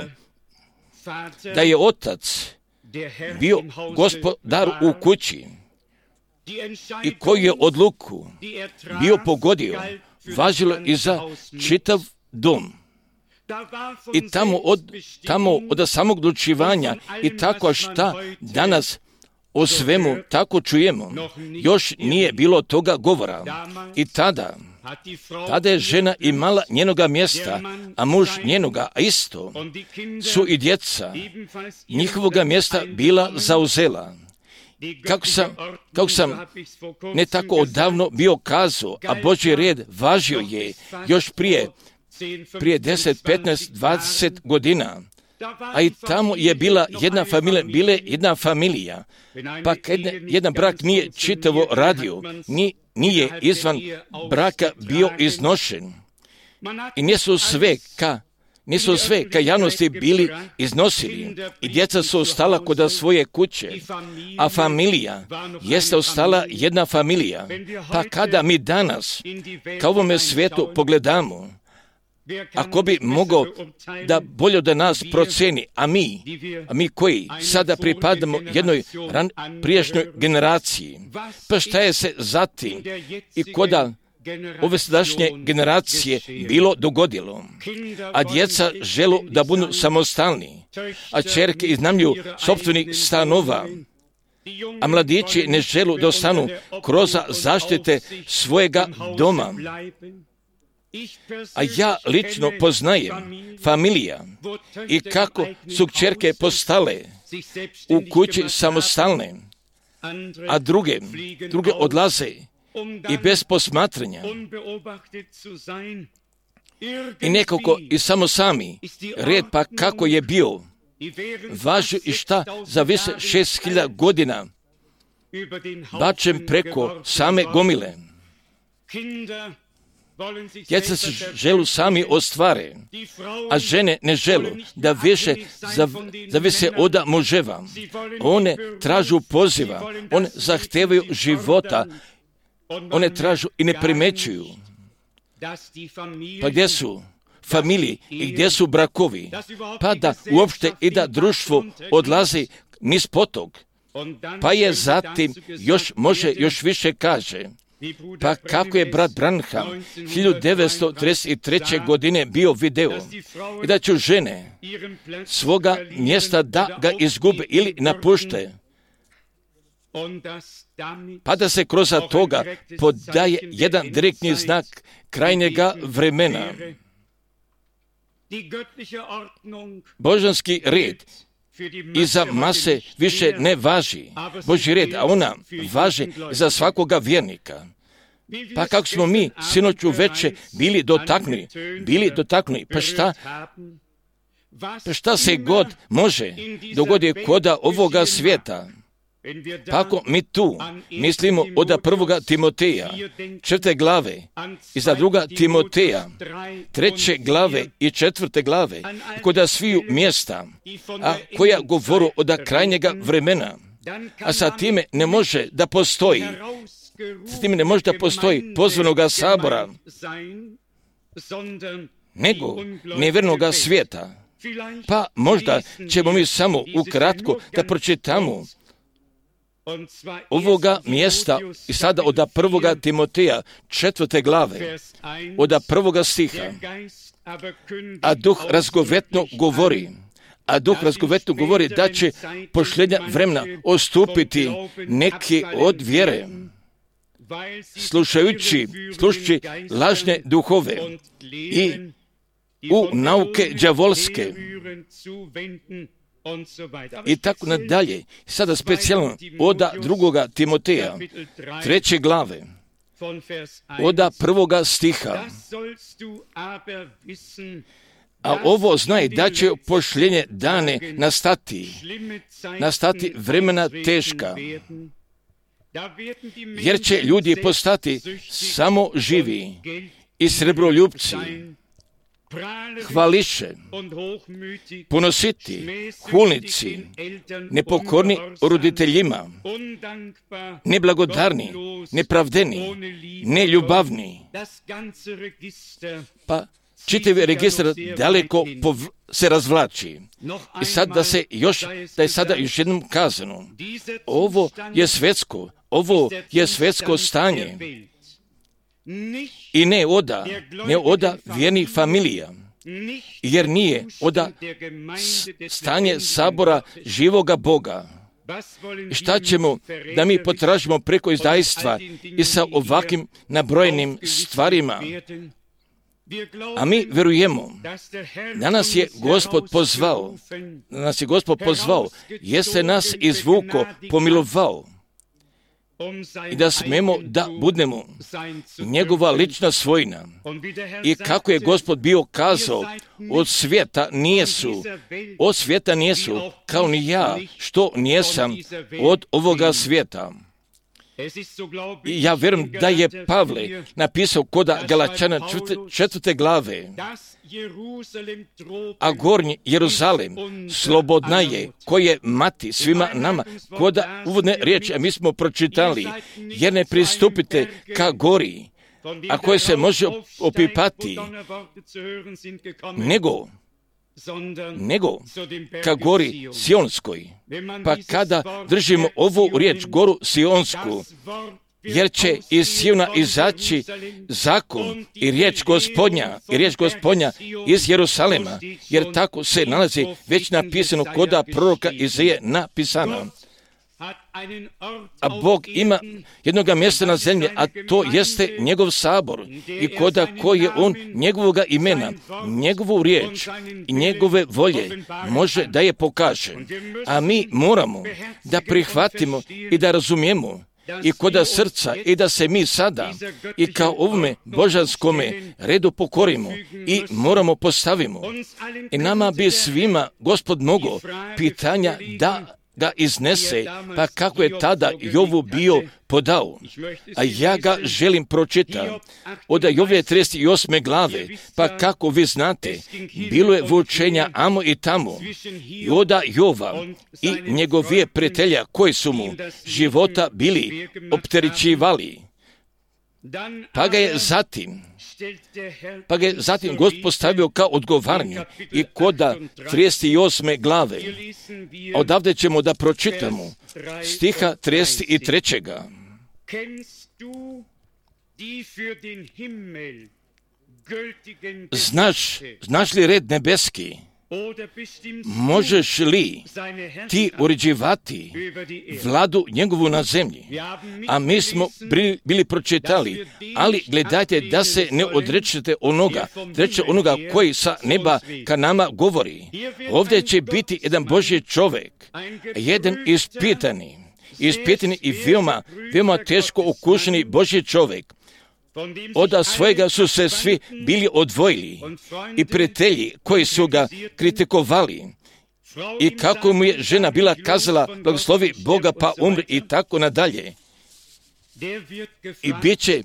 da je otac bio gospodar u kući i koji je odluku bio pogodio, važilo i za čitav dom. I tamo od, tamo od samog odlučivanja i tako šta danas o svemu tako čujemo, još nije bilo toga govora. I tada, tada je žena imala njenoga mjesta, a muž njenoga, a isto su i djeca njihovoga mjesta bila zauzela. Kako sam, kako sam ne tako odavno bio kazao, a Božji red važio je još prije, prije deset, petnaest, dvadeset godina, a i tamo je bila jedna familija, bile jedna familija. Pa kad jedan brak nije čitavo radio, nije, nije izvan braka bio iznošen. I nisu sve ka Nisu sve ka javnosti bili iznosili i djeca su ostala kod svoje kuće, a familija jeste ostala jedna familija. Pa kada mi danas ka ovome svijetu pogledamo, ako bi mogao da bolje da nas proceni, a mi, a mi koji sada pripadamo jednoj ran, prijašnjoj generaciji, pa šta je se zatim i koda ove sadašnje generacije bilo dogodilo, a djeca želu da budu samostalni, a ćerke iznajmljuju sopstvenih stanova, a mladići ne želu da ostanu kroz zaštite svojega doma. A ja lično poznajem familija i kako su kćerke postale u kući samostalne, a druge, druge odlaze i bez posmatranja. I nekako i samo sami, red pa kako je bio, važu i šta za više šest hiljada godina, bačen preko same gomile. Djeca se želu sami ostvare, a žene ne želu da više zavise od muževa. One tražu poziva, one zahtevaju života, one tražu i ne primećuju. Pa gdje su familije i gdje su brakovi? Pa da uopšte i da društvo odlazi niz potog. Pa je zatim još može još više kaže. Pa kako je brat Branham hiljadu devetsto trideset treće godine bio video i da će žene svoga mjesta da ga izgube ili napušte, pa da se kroz toga podaje jedan direktni znak krajnjega vremena. Božanski red i za mase više ne važi Božji red, a ona važi za svakoga vjernika. Pa kako smo mi sinoć uveče bili dotaknuli, bili dotaknuli, pa šta, pa šta se god može dogoditi koda ovoga svijeta. Pa ako mi tu mislimo od prvoga Timoteja, četvrte glave, i za druga Timoteja, treće glave i četvrte glave, kod sviju mjesta, a koja govoru od krajnjega vremena, a sa time ne može da postoji, sa time ne može da postoji pozvanoga sabora, nego nevjernoga svijeta. Pa možda ćemo mi samo ukratko da pročitamo ovoga mjesta i sada od prvoga Timoteja četvrte glave, od prvoga stiha. A duh razgovetno govori, a duh razgovetno govori da će posljednja vremena ostupiti neki od vjere, slušajući, slušajući lažne duhove i u nauke đavolske i tako nadalje. Sada specijalno od drugoga Timoteja, treće glave, od prvoga stiha. A ovo znaj da će posljednje dane nastati, nastati vremena teška, jer će ljudi postati samo živi i srebroljupci, hvališe, ponositi, hulnici, nepokorni roditeljima, neblagodarni, nepravdeni, neljubavni. Pa čitav registar daleko pov- se razvlači. I sad da se još, da je sada još jednom kazano, ovo je svjetsko, ovo je svjetsko stanje. I ne oda, ne oda vjernih familija, jer nije oda stanje sabora živoga Boga. I šta ćemo da mi potražimo preko izdajstva i sa ovakvim nabrojenim stvarima? A mi vjerujemo da nas je Gospod pozvao, da nas je Gospod pozvao, jeste nas izvuko, pomilovao i da smemo da budemo njegova lična svojina. I kako je Gospod bio kazao, od svijeta nijesu, od svijeta nijesu, kao ni ja, što nijesam od ovoga svijeta. I ja vjerujem da je Pavle napisao koda Galačana četvrte glave, a gornji Jeruzalem slobodna je, koji je mati svima nama, koda uvodne riječi, a mi smo pročitali, jer ne pristupite ka gori, a koje se može opipati, nego nego ka gori Sionskoj. Pa kada držimo ovu riječ, goru Sionsku, jer će iz Siona izaći zakon i riječ Gospodnja, i riječ Gospodnja iz Jerusalema, jer tako se nalazi već napisano koda proroka Izaije napisano. A Bog ima jednoga mjesta na zemlji, a to jeste njegov sabor, i koda koji je on njegovoga imena, njegovu riječ i njegove volje može da je pokaže. A mi moramo da prihvatimo i da razumijemo i koda srca, i da se mi sada i kao ovome božanskome redu pokorimo i moramo postavimo. I nama bi svima Gospod mogao pitanja da ga iznese, pa kako je tada Jovu bio podao. A ja ga želim pročitati od Jovove trideset osme glave, pa kako vi znate, bilo je vučenja amo i tamo, i od Jova i njegovije prijatelja koji su mu života bili opterećivali. Pa ga je zatim, pa ga je zatim Gospod postavio kao odgovaranje i koda trideset osme glave. Odavde ćemo da pročitamo stiha trideset tri. Znaš, znaš li red nebeski? Možeš li ti uređivati vladu njegovu na zemlji? A mi smo bili pročitali, ali gledajte da se ne odrečete onoga, treće onoga koji sa neba ka nama govori. Ovdje će biti jedan Božji čovjek, jedan ispitani, ispitani i veoma, veoma teško okušeni Božji čovjek. Od svojega su se svi bili odvojili i prijatelji koji su ga kritikovali i kako mu je žena bila kazala blagoslovi Boga pa umri i tako nadalje. I bit će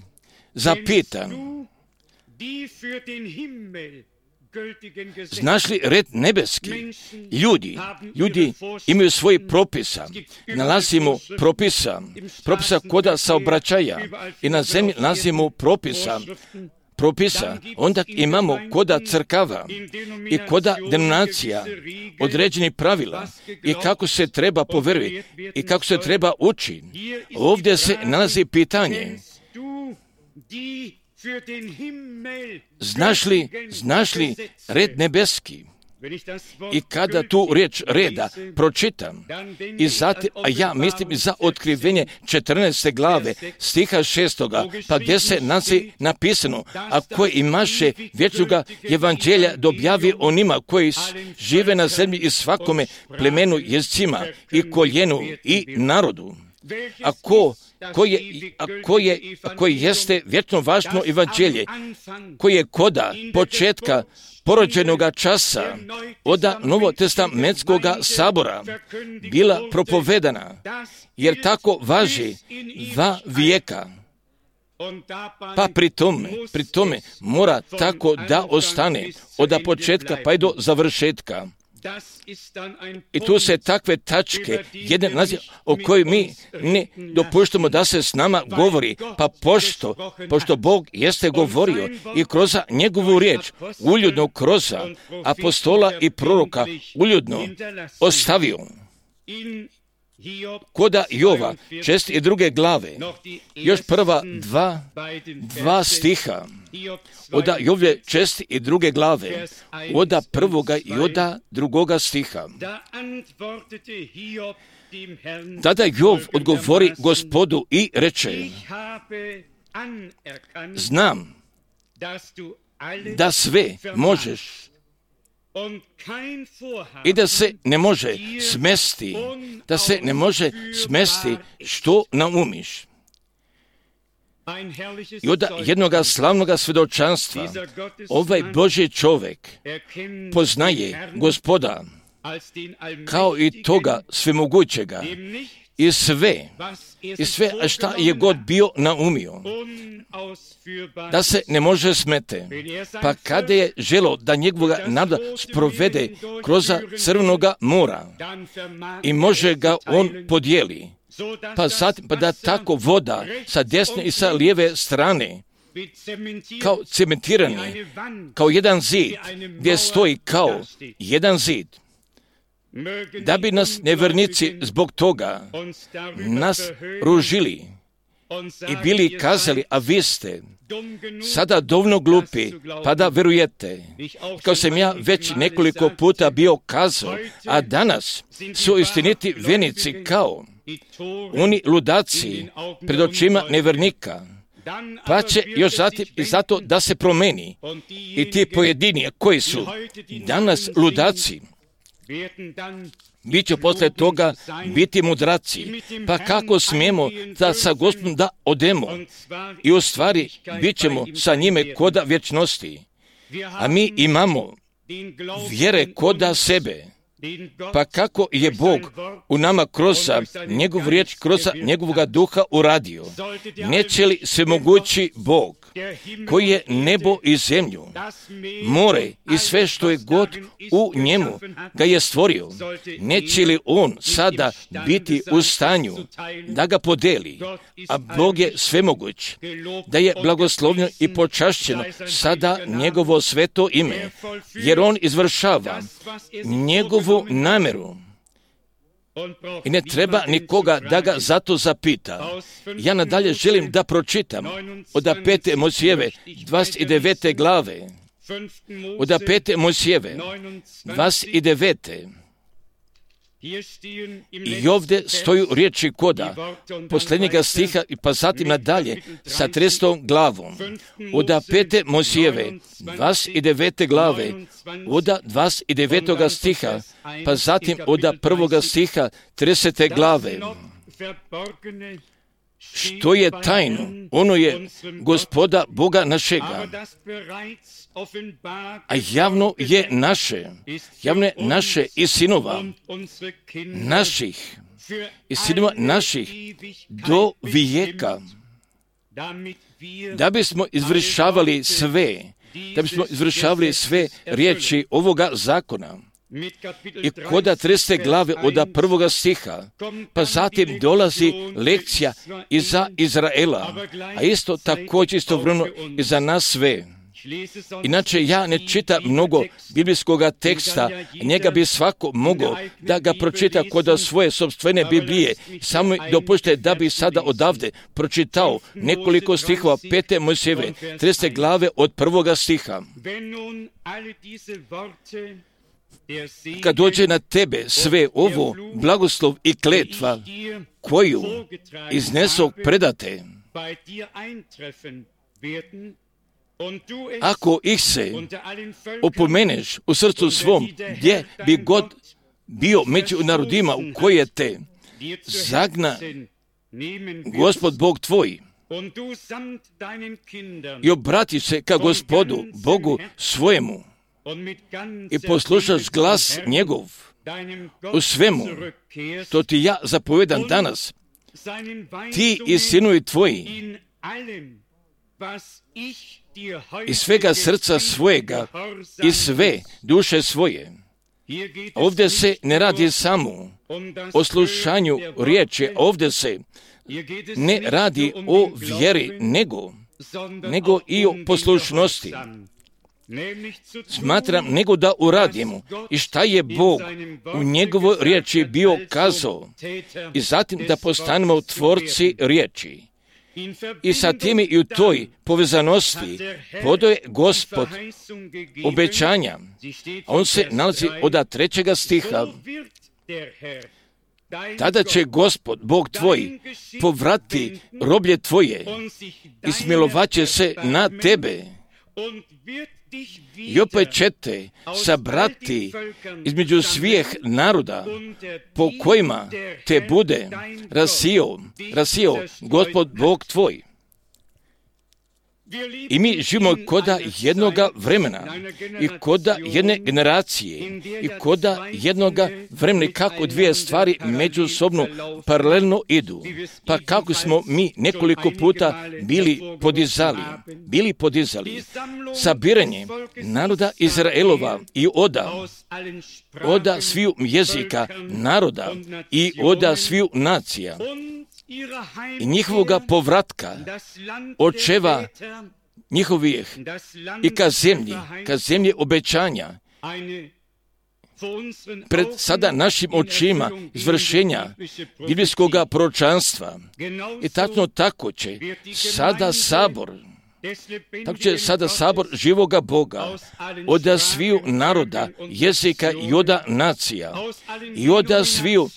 zapitan, znaš li red nebeski? Ljudi, ljudi imaju svoj propisa. Nalazimo propisa, propisa koda saobraćaja i na zemlji nalazimo propisa, propisa. Onda imamo koda crkava i koda denominacija, određenih pravila i kako se treba poverovati i kako se treba učiti. Ovdje se nalazi pitanje, Znaš li, znaš li red nebeski? I kada tu riječ reda pročitam, i zatim, a ja mislim za otkrivenje četrnaeste glave, stiha šestoga, pa gdje se nazi napisano, a koji imaše vječnoga evanđelja dobjavi onima koji žive na zemlji i svakome plemenu, jezicima i koljenu i narodu. A ko Koji je, a koje, a koji jeste vječno važno evanđelje, koji je koda početka porođenoga časa od novotestamentskoga sabora bila propovedana, jer tako važi dva vijeka. Pa pri tome, pri tome mora tako da ostane od početka pa i do završetka. I tu se takve tačke, jedan naziv o kojoj mi ne dopuštamo da se s nama govori, pa pošto, pošto Bog jeste govorio i kroz njegovu riječ, uljudno kroz apostola i proroka, uljudno ostavio. Koda Jova, šest i druge glave, još prva dva, dva stiha, oda Jove šest i druge glave, oda prvoga i oda drugoga stiha. Tada Jov odgovori Gospodu i reče, znam da sve možeš i da se ne može smesti, da se ne može smesti što naumiš. I od jednoga slavnoga svjedočanstva ovaj Božji čovjek poznaje Gospoda kao i toga svemogućega i sve, i sve šta je god bio naumio, da se ne može smete. Pa kada je želo da njegovoga naroda sprovede kroz crvenoga mora i može ga on podijeli, pa zatim pa da tako voda sa desne i sa lijeve strane kao cementirani, kao jedan zid, gdje stoji kao jedan zid, da bi nas nevjernici zbog toga nas ružili i bili kazali, a vi ste sada dovoljno glupi, pa da verujete. Kao sam ja već nekoliko puta bio kazao, a danas su istiniti vjernici kao oni ludaci pred očima nevjernika, pa će još zatim i zato da se promeni i ti pojedini koji su danas ludaci, bit će posle toga biti mudraci. Pa kako smijemo da sa Gospodom da odemo? I u stvari bit ćemo sa njime koda vječnosti. A mi imamo vjere koda sebe. Pa kako je Bog u nama kroz njegov riječ, kroz njegovoga duha uradio? Neće li svemogući Bog, koji je nebo i zemlju, more i sve što je god u njemu ga je stvorio, neće li on sada biti u stanju da ga podeli? A Bog je svemoguć, da je blagoslovljeno i počašćeno sada njegovo sveto ime, jer on izvršava njegovu nameru i ne treba nikoga da ga zato zapita. Ja nadalje želim da pročitam od pete Mojsijeve dvadeset devete glave, od pete Mojsijeve dvadeset devete. I ovdje stoju riječi koda posljednjega stiha i pa zatim nadalje sa tridesetom glavom od pete Mojsijeve dvadeset devete glave od dvadeset devetoga stiha pa zatim od prvoga stiha tridesete glave. Što je tajno, ono je Gospoda Boga našega, a javno je naše, javno je naše i sinova naših, i sinova naših do vijeka, da bismo izvršavali sve, da bismo izvršavali sve riječi ovoga zakona. I koda tridesete glave od prvoga stiha, pa zatim dolazi lekcija i za Izraela, a isto također istovremeno i za nas sve. Inače, ja ne čitam mnogo biblijskog teksta, njega bi svako mogao da ga pročita kod svoje sopstvene Biblije. Samo dopušte da bi sada odavde pročitao nekoliko stihova pete Mojsijeve, tridesete glave od prvoga stiha. Kad dođe na tebe sve ovo blagoslov i kletva koju iznesog predate, ako ih se opomeneš u srcu svom, gdje bi god bio među narodima u koje te zagna Gospod Bog tvoj, i obratiš se ka Gospodu Bogu svojemu i poslušaš glas njegov u svemu, što ti ja zapovedam danas, ti i sinovi tvoji, i svega srca svojega i sve duše svoje. Ovdje se ne radi samo o slušanju riječi, ovdje se ne radi o vjeri, nego, nego i o poslušnosti. Smatram nego da uradimo i šta je Bog u njegovoj riječi bio kazao, i zatim da postanemo tvorci riječi. I sa tim i u toj povezanosti podoje Gospod obećanja, a on se nalazi od trećega stiha. Tada će Gospod, Bog tvoj, povrati roblje tvoje i smilovat će se na tebe. I opet će te sabrati između svih naroda po kojima te bude rasio, rasio Gospod Bog tvoj. I mi živimo koda jednoga vremena i koda jedne generacije i koda jednoga vremena, kako dvije stvari međusobno paralelno idu. Pa kako smo mi nekoliko puta bili podizali, bili podizali sabiranje naroda Izraelova i oda, oda sviju jezika naroda i oda sviju nacija i njihovoga povratka očeva njihovih i ka zemlji, ka zemlji obećanja, pred sada našim očima izvršenja biblijskog proročanstva. I tačno tako će sada sabor, tako će sada sabor živoga Boga od sviju naroda, jezika i od nacija i od sviju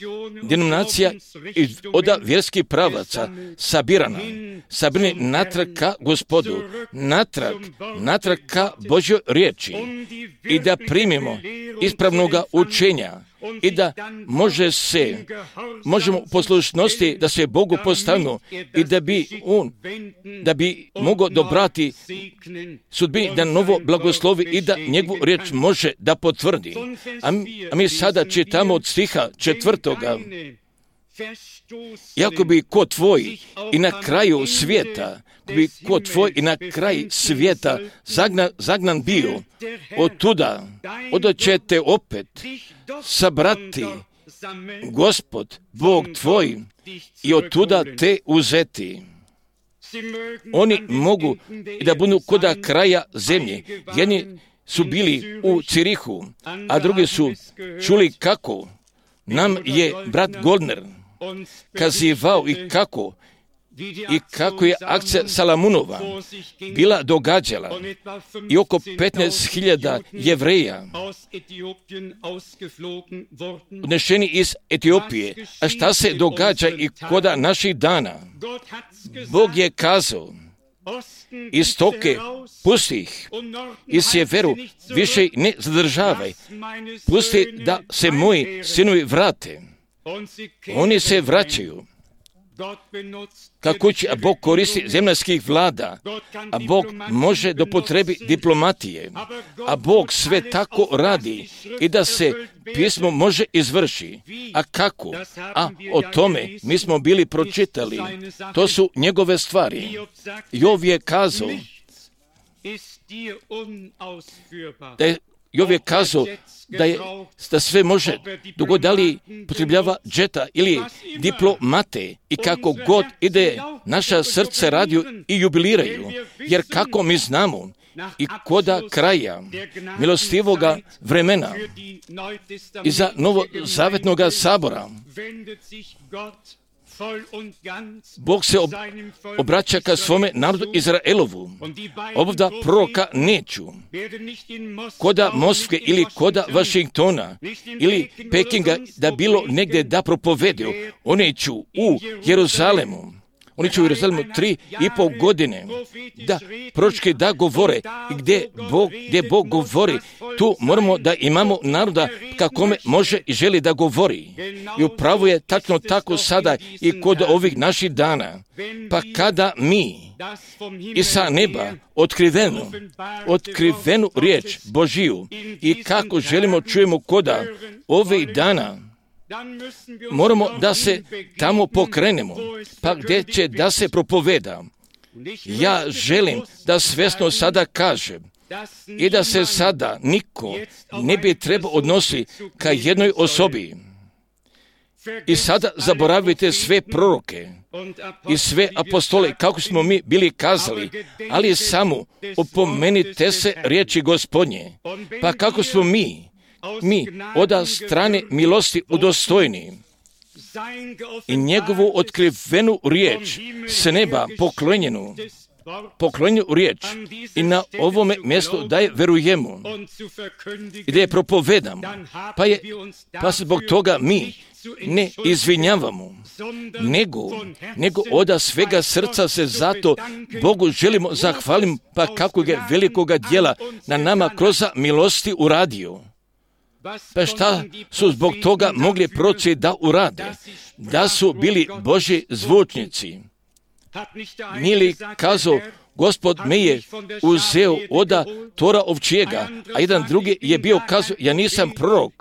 denominacija i od vjerskih pravaca sabirana, sabirani natrag ka Gospodu, natrag, natrag ka Božjoj riječi i da primimo ispravnoga učenja i da može se, možemo u poslušnosti da se Bogu postavimo i da bi on, da bi mogao dobrati sudbini, da novo blagoslovi i da njegovu riječ može da potvrdi. A mi, a mi sada čitamo od stiha četvrtoga. Iako bi ko tvoj i na kraju svijeta, bi ko tvoj i na kraj svijeta zagnan, zagnan bio, od tuda, od ćete opet sabrati Gospod, Bog tvoj, i od tuda te uzeti. Oni mogu da budu koda kraja zemlje. Jedni su bili u Cirihu, a drugi su čuli kako nam je brat Goldner kazivao i kako i kako je akcija Salamunova bila događala i oko petnaest hiljada Jevreja odnešeni iz Etiopije. A šta se događa i koda naših dana? Bog je kazao, istoke pusti ih, i sjeveru više ne zadržavaj, pusti da se moji sinovi vrate. Oni se vraćaju. Kako će, a Bog koristi zemaljskih vlada, a Bog može dopotrebi diplomatije, a Bog sve tako radi i da se pismo može izvrši. A kako? A o tome mi smo bili pročitali. To su njegove stvari. Jov je kazao da je Jov je kazao da, je, da sve može dogod da li potrebljava džeta ili diplomate i kako god ide naša srce radio i jubiliraju, jer kako mi znamo i koda kraja milostivoga vremena i za novozavetnoga sabora Bog se ob, obraća ka svome narodu Izraelovu. Obavda proroka neću koda Moskve ili koda Vašingtona ili Pekinga da bilo negdje da propovedu. Oni ću u Jeruzalemu. Oni će u Jeruzalemu tri i pol godine da proročki da govore i gdje Bog, gdje Bog govori, tu moramo da imamo naroda kakome može i želi da govori. I upravo je tačno tako sada i kod ovih naših dana. Pa kada mi i sa neba otkrivenu, otkrivenu riječ Božiju i kako želimo čujemo koda ovih dana, moramo da se tamo pokrenemo, pa gdje će da se propoveda. Ja želim da svjesno sada kažem i da se sada niko ne bi trebao odnosi ka jednoj osobi. I sada zaboravite sve proroke i sve apostole, kako smo mi bili kazali, ali samo opomenite se riječi Gospodnje. Pa kako smo mi, mi od strane milosti udostojni i njegovu otkrivenu riječ s neba poklonjenu, poklonjenu riječ i na ovome mjestu da je verujemo i da je propovedamo, pa, je, pa se zbog toga mi ne izvinjavamo, nego, nego od svega srca se zato Bogu želimo zahvalim, pa kako je velikoga djela na nama kroz milosti uradio. Pa šta su zbog toga mogli proroci da urade? Da su bili Božji zvučnici. Nije li kazao Gospod me je uzeo oda tora ovčijega, a jedan drugi je bio kazao, ja nisam prorok,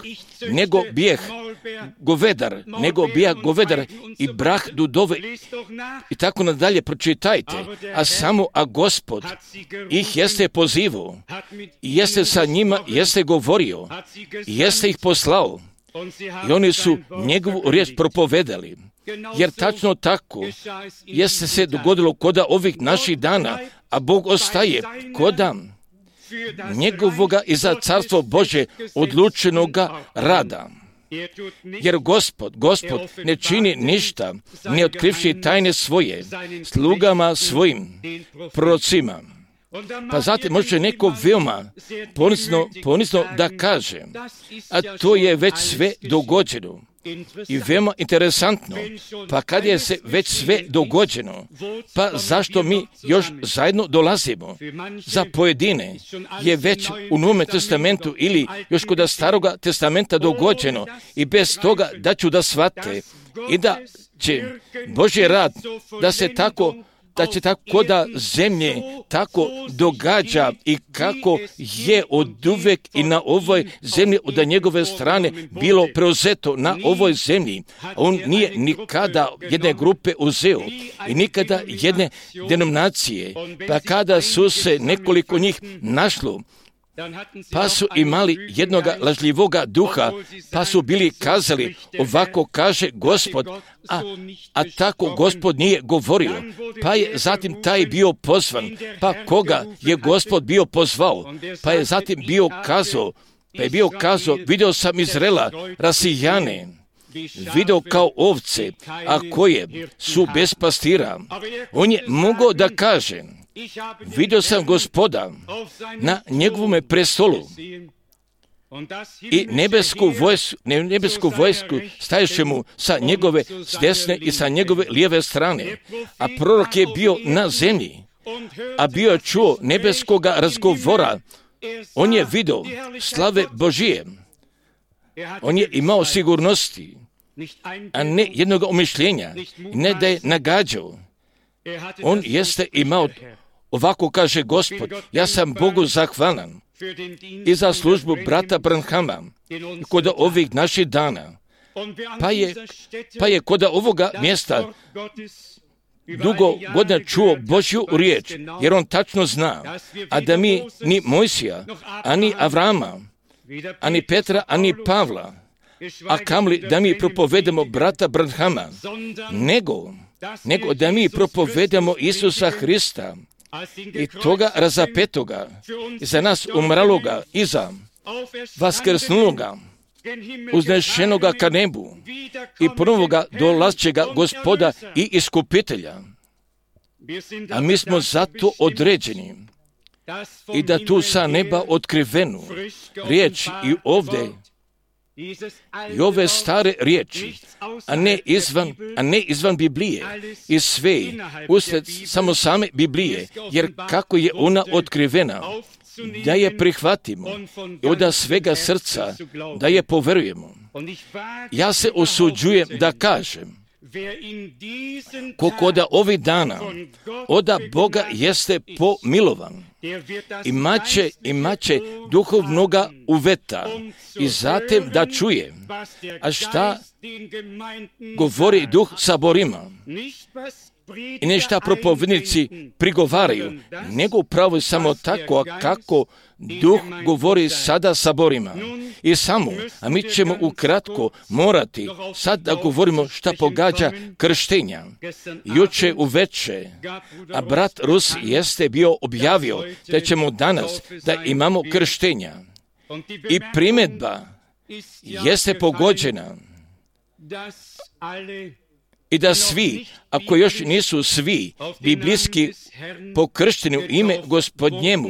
nego bijeh govedar, nego bijeh govedar i brah dudove i tako nadalje, pročitajte. A samo, a Gospod ih jeste pozivao, jeste sa njima, jeste govorio, jeste ih poslao i oni su njegovu riječ propovedali. Jer tačno tako jeste se dogodilo koda ovih naših dana, a Bog ostaje koda njegovoga i za carstvo Bože odlučenoga rada. Jer Gospod, Gospod ne čini ništa, ne otkrivši tajne svoje, slugama svojim, prorocima. Pa zatim može neko veoma ponisno, ponisno da kaže, a to je već sve dogođeno. I veoma interesantno, pa kad je se već sve dogođeno, pa zašto mi još zajedno dolazimo? Za pojedine je već u Novome testamentu ili još kod Staroga testamenta dogođeno i bez toga da ću da shvate i da će Božji rad da se tako da će tako da zemlje tako događa i kako je od uvek i na ovoj zemlji od njegove strane bilo preuzeto na ovoj zemlji. On nije nikada jedne grupe uzeo i nikada jedne denominacije, pa kada su se nekoliko njih našlo, pa su imali jednoga lažljivoga duha, pa su bili kazali, ovako kaže Gospod, a, a tako Gospod nije govorio. Pa je zatim taj bio pozvan, pa koga je Gospod bio pozvao, pa je zatim bio kazao, pa je bio kazao, vidio sam Izraela rasijane, video kao ovce, a koje su bez pastira. On je mogao da kaže, vidio sam Gospoda na njegovome prestolu i nebesku vojsku, nebesku vojsku staješe mu sa njegove s desne i sa njegove lijeve strane. A prorok je bio na zemlji, a bio je čuo nebeskoga razgovora. On je vidio slave Božije. On je imao sigurnosti, a ne jednog umišljenja, ne da je nagađao. On jeste imao, ovako kaže Gospod, ja sam Bogu zahvalan i za službu brata Branhama kod ovih naših dana. Pa je, pa je kod ovoga mjesta dugo godina čuo Božju riječ, jer on tačno zna, a da mi ni Mojsija, ani Avrama, ani Petra, ani Pavla, a kamli da mi propovedemo brata Branhama, nego, nego da mi propovedemo Isusa Hrista i toga razapetoga, i za nas umraloga, i za vaskrsnuloga, uznešenoga ka nebu i ponovoga dolazčega Gospoda i iskupitelja. A mi smo zato određeni i da tu sa neba otkrivenu riječ i ovdje i ove stare riječi, a ne izvan, a ne izvan Biblije i sve usred samo same Biblije, jer kako je ona otkrivena, da je prihvatimo i od svega srca da je poverujemo. Ja se usuđujem da kažem, ko koda ovih dana oda Boga jeste pomilovan, imaće, imaće duhovnoga uveta i zatim da čuje, a šta govori duh saborima i ne šta propovednici prigovaraju, nego upravo samo tako kako duh govori sada saborima. I samo, a mi ćemo ukratko morati sad da govorimo šta pogađa krštenja. Juče uveče, a brat Rus jeste bio objavio da ćemo danas da imamo krštenja. I primjedba jeste pogođena i da svi, ako još nisu svi biblijski pokršteni u ime Gospodnjemu,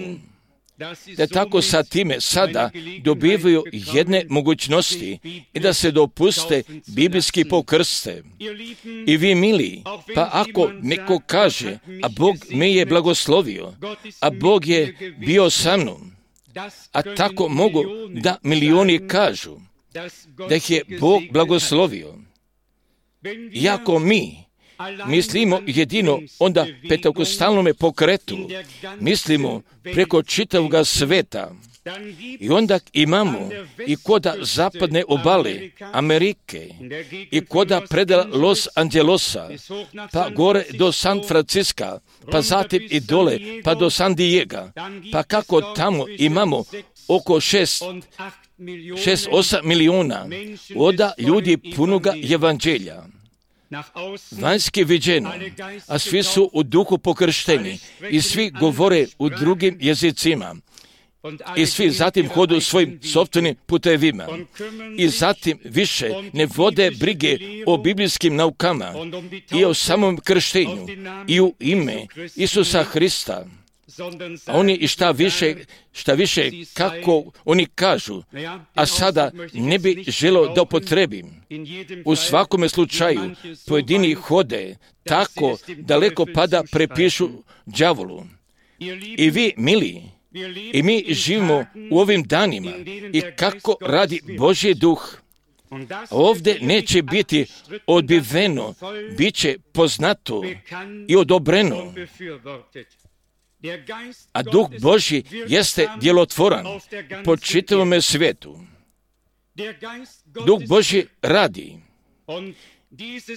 da tako sa time sada dobivaju jedne mogućnosti i da se dopuste biblijski pokrste. I vi mili, pa ako neko kaže, a Bog me je blagoslovio, a Bog je bio sa mnom, a tako mogu da milioni kažu da ih je Bog blagoslovio. Iako mi mislimo jedino onda pentekostalnome pokretu, mislimo preko čitavoga sveta. I onda imamo i koda zapadne obale Amerike, i koda predela Los Angelosa, pa gore do San Franciska, pa zatim i dole, pa do San Diega, pa kako tamo imamo oko šest, šest, osam miliona oda ljudi punoga evanđelja. Vanjski viđeno, a svi su u duhu pokršteni i svi govore u drugim jezicima. I svi zatim hodu svojim sopstvenim putevima. I zatim više ne vode brige o biblijskim naukama i o samom krštenju i u ime Isusa Hrista. A oni i šta više, šta više, kako oni kažu, a sada ne bi želio da upotrebim. U svakome slučaju pojedini hode tako daleko pada prepišu đavolu. I vi, mili, i mi živimo u ovim danima i kako radi Božji duh. Ovdje neće biti odbiveno, bit će poznato i odobreno. A duh Božji jeste djelotvoran po čitavome svijetu. Duh Božji radi.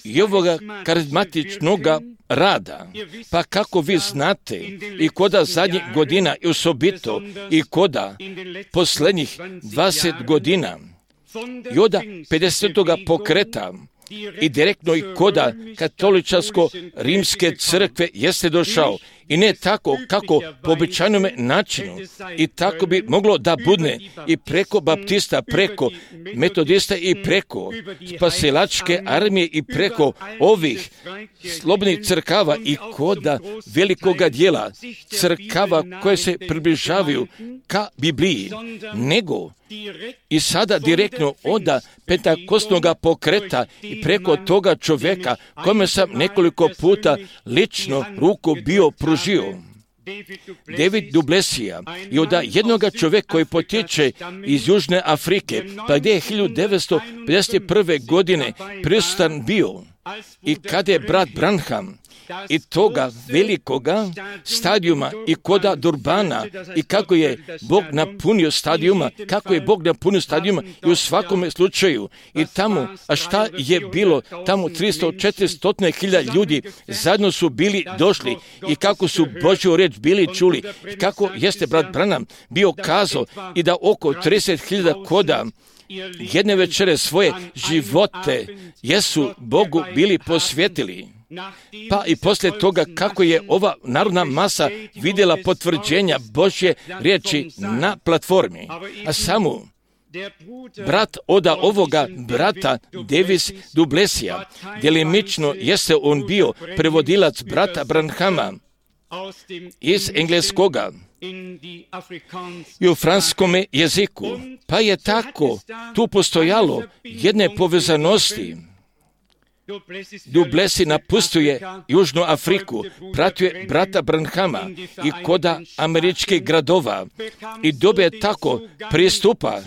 I ovoga karizmatičnoga rada, pa kako vi znate, i koda zadnjih godina, i osobito, i koda posljednjih dvadeset godina, i oda pedesetoga pokreta, i direktno i koda katoličarsko-rimske crkve jeste došao. I ne tako kako po običajnom načinu. I tako bi moglo da budne i preko baptista, preko metodista i preko spasilačke armije i preko ovih slobodnih crkava i koda velikoga dijela crkava koje se približavaju ka Bibliji, nego i sada direktno onda pentakostnoga pokreta i preko toga čovjeka kome sam nekoliko puta lično ruku bio pružio. David du Plessisa i od jednoga čovjeka koji potječe iz Južne Afrike, pa gdje je hiljadu devetsto pedeset prve godine prisutan bio i kada je brat Branham i toga velikoga stadijuma i koda Durbana i kako je Bog napunio stadijuma, kako je Bog napunio stadijuma i u svakome slučaju i tamo, a šta je bilo, tamo tristo do četiristo hiljada ljudi zajedno su bili došli i kako su Božju riječ bili čuli i kako jeste brat Branham bio kazao i da oko trideset hiljada koda jedne večere svoje živote jesu Bogu bili posvetili. Pa i poslije toga kako je ova narodna masa vidjela potvrđenja Božje riječi na platformi, a samo brat oda ovoga brata Davis du Plessisa, djelimično jeste on bio prevodilac brata Branhama iz engleskoga i u franskome jeziku, pa je tako tu postojalo jedne povezanosti. Du Plessis napustuje Južnu Afriku, pratio je brata Branhama i koda američkih gradova i dobije tako pristupa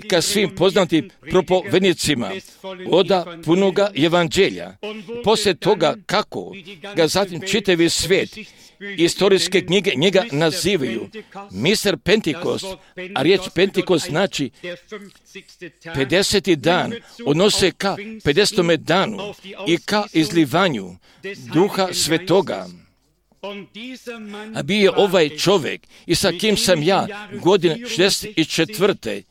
ka svim poznatim propovednicima oda punoga evanđelja. Poslije toga kako ga zatim čitavi svijet, istorijske knjige njega nazivaju mister Pentekost, a riječ Pentekost znači pedeseti dan, odnose ka pedesetome danu i ka izlivanju Duha Svetoga. A bio je ovaj čovjek i sa kim sam ja godine šezdeset četvrte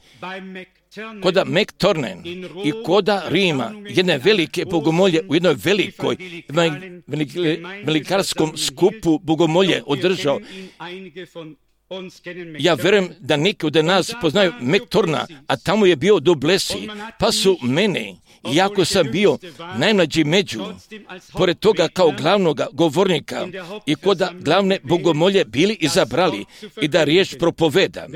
koda McTurnan i koda Rima, jedne velike bogomolje u jednoj velikoj velikarskom skupu bogomolje održao. Ja vjerujem da neki od nas poznaju McTurna, a tamo je bio du Plessis, pa su mene, iako sam bio najmlađi među, pored toga kao glavnoga govornika i koda glavne bogomolje bili izabrali i da riječ propoveda.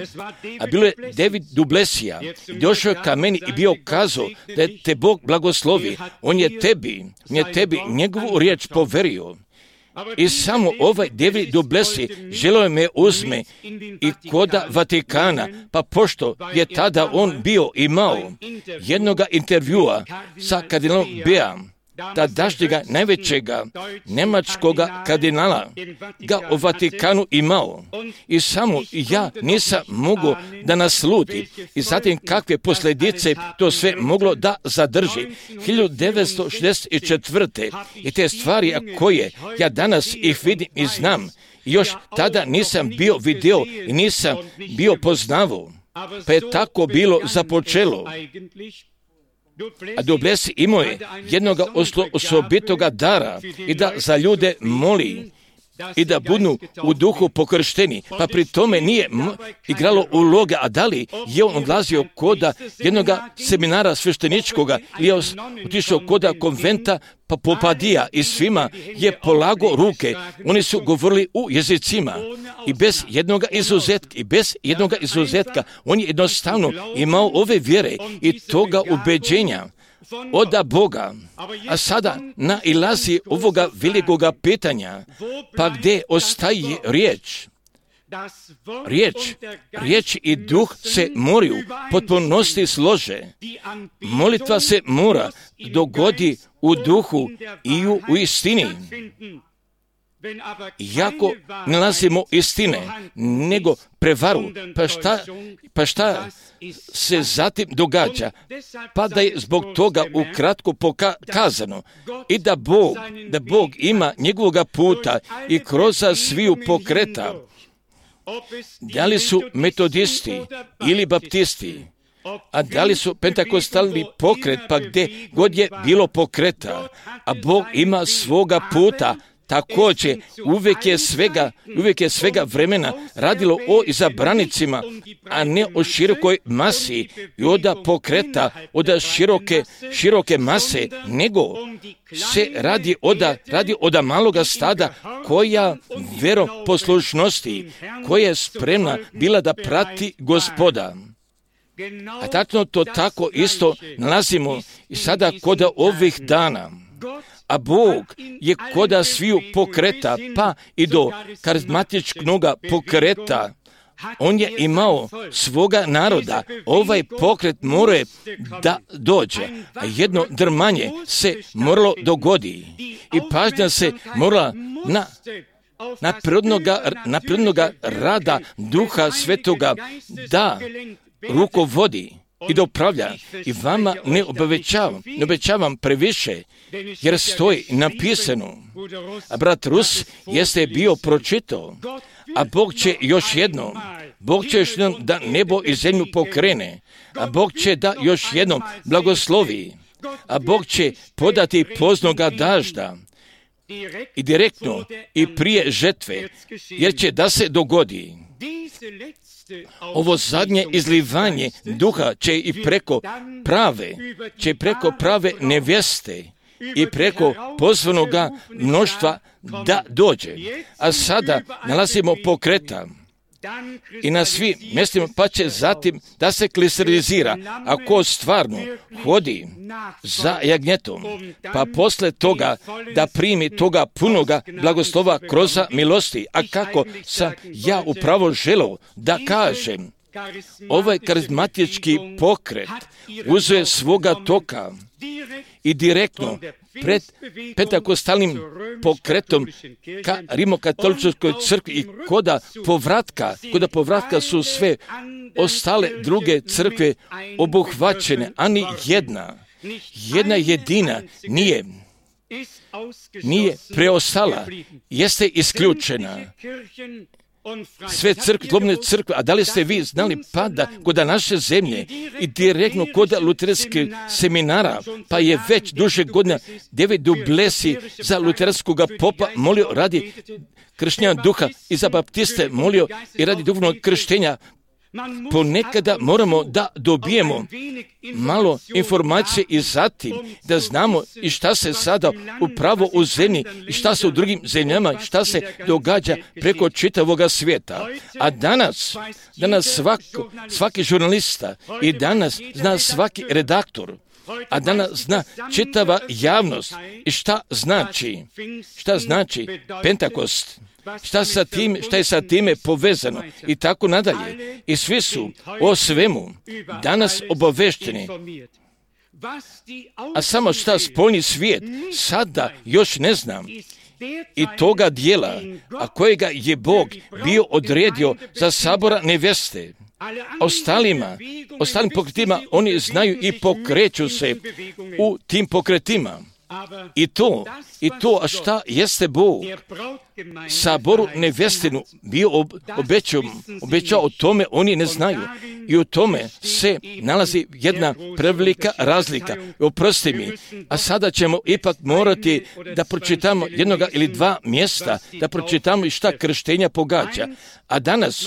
A bilo je David du Plessisa, došao ka meni i bio kazao da je te Bog blagoslovi, on je tebi, on je tebi njegovu riječ poverio. I samo ovaj David du Plessis želio me uzme i koda Vatikana, pa pošto je tada on bio imao jednoga intervjua sa kardinalom Beam, tadašnjega najvećega njemačkoga kardinala ga u Vatikanu imao. I samo ja nisam mogao da nasluti. I zatim kakve posljedice to sve moglo da zadrži. hiljadu devetsto šezdeset četvrte. I te stvari koje ja danas ih vidim i znam, još tada nisam bio vidio i nisam bio poznavao. Pa je tako bilo započelo. A Duplessis imao je jednoga osobitoga dara i da za ljude moli i da budu u duhu pokršteni, pa pri tome nije m- igralo uloge, a da li je on odlazio koda jednoga seminara svešteničkoga ili je otišao koda konventa pa Popadija i svima je polago ruke, oni su govorili u jezicima i bez jednoga izuzetka, i bez jednoga izuzetka, on je jednostavno imao ove vjere i toga ubeđenja oda Boga, a sada nailazi ovoga velikoga pitanja, pa gdje ostaje riječ? Riječ, riječ i duh se moraju potpunosti slože. Molitva se mora dogodi u duhu i u, u istini. Iako ne nalazimo istine, nego prevaru, pa šta, pa šta se zatim događa? Pa da je zbog toga ukratko pokazano i da Bog, da Bog ima njegovoga puta i kroz sviju pokreta, da li su metodisti ili baptisti, a da li su pentakostalni pokret, pa gdje god je bilo pokreta, a Bog ima svoga puta. Također, uvijek je svega, uvijek je svega vremena radilo o izabranicima, a ne o širokoj masi i oda pokreta, oda široke, široke mase, nego se radi oda, radi oda maloga stada koja veroposlušnosti, koja je spremna bila da prati Gospoda. A tačno to tako isto nalazimo i sada kod ovih dana. A Bog je koda sviju pokreta, pa i do karizmatičkog pokreta, on je imao svoga naroda. Ovaj pokret mora da dođe, a jedno drmanje se moralo dogodi. I pažnja se morala na na prirodnoga, na prirodnoga rada Duha Svetoga da rukovodi i da upravlja. I vama ne obećavam, ne obećavam previše, jer stoji napisano. A brat Rus jeste bio pročitao, a Bog će još jednom, Bog će još jednom da nebo i zemlju pokrene, a Bog će da još jednom blagoslovi, a Bog će podati poznoga dažda i direktno i prije žetve, jer će da se dogodi. Ovo zadnje izlivanje duha će i preko prave, će preko prave nevjeste i preko pozvanoga mnoštva da dođe. A sada nalazimo pokreta i na svim mjestima, pa će zatim da se klisterizira, ako stvarno hodi za jagnjetom, pa posle toga da primi toga punoga blagoslova kroz milosti. A kako sam ja upravo želeo da kažem, ovaj karizmatički pokret uzeo svoga toka i direktno pred pentakostalnim pokretom ka rimokatoličkoj crkvi i koda povratka, koda povratka su sve ostale druge crkve obuhvaćene, a ni jedna, jedna jedina nije, nije preostala, jeste isključena. Sve crkve, slobodne crkve, a da li ste vi znali pa da kod naše zemlje i direktno kod luterskih seminara, pa je već duže godina David Duplessis za luterskog popa molio radi krštenja duha i za baptiste molio i radi duhovnog krštenja. Ponekada moramo da dobijemo malo informacije i zatim da znamo i šta se sada upravo u zemlji i šta se u drugim zemljama, šta se događa preko čitavoga svijeta. A danas, danas svak, svaki žurnalista i danas zna svaki redaktor, a danas zna čitava javnost i šta znači, šta znači Pentakost. Šta, sa tim, šta je sa time povezano i tako nadalje. I svi su o svemu danas obavešteni. A samo šta spoljni svijet sada još ne znam. I toga dijela, a kojega je Bog bio odredio za sabora neveste. Ostalima, ostalim pokretima, oni znaju i pokreću se u tim pokretima. I to, i to, a šta jeste Bog saboru nevestinu bio ob, obećao, obećao o tome, oni ne znaju. I u tome se nalazi jedna prevelika razlika. Oprosti mi, a sada ćemo ipak morati da pročitamo jednoga ili dva mjesta, da pročitamo i šta krštenja pogađa. A danas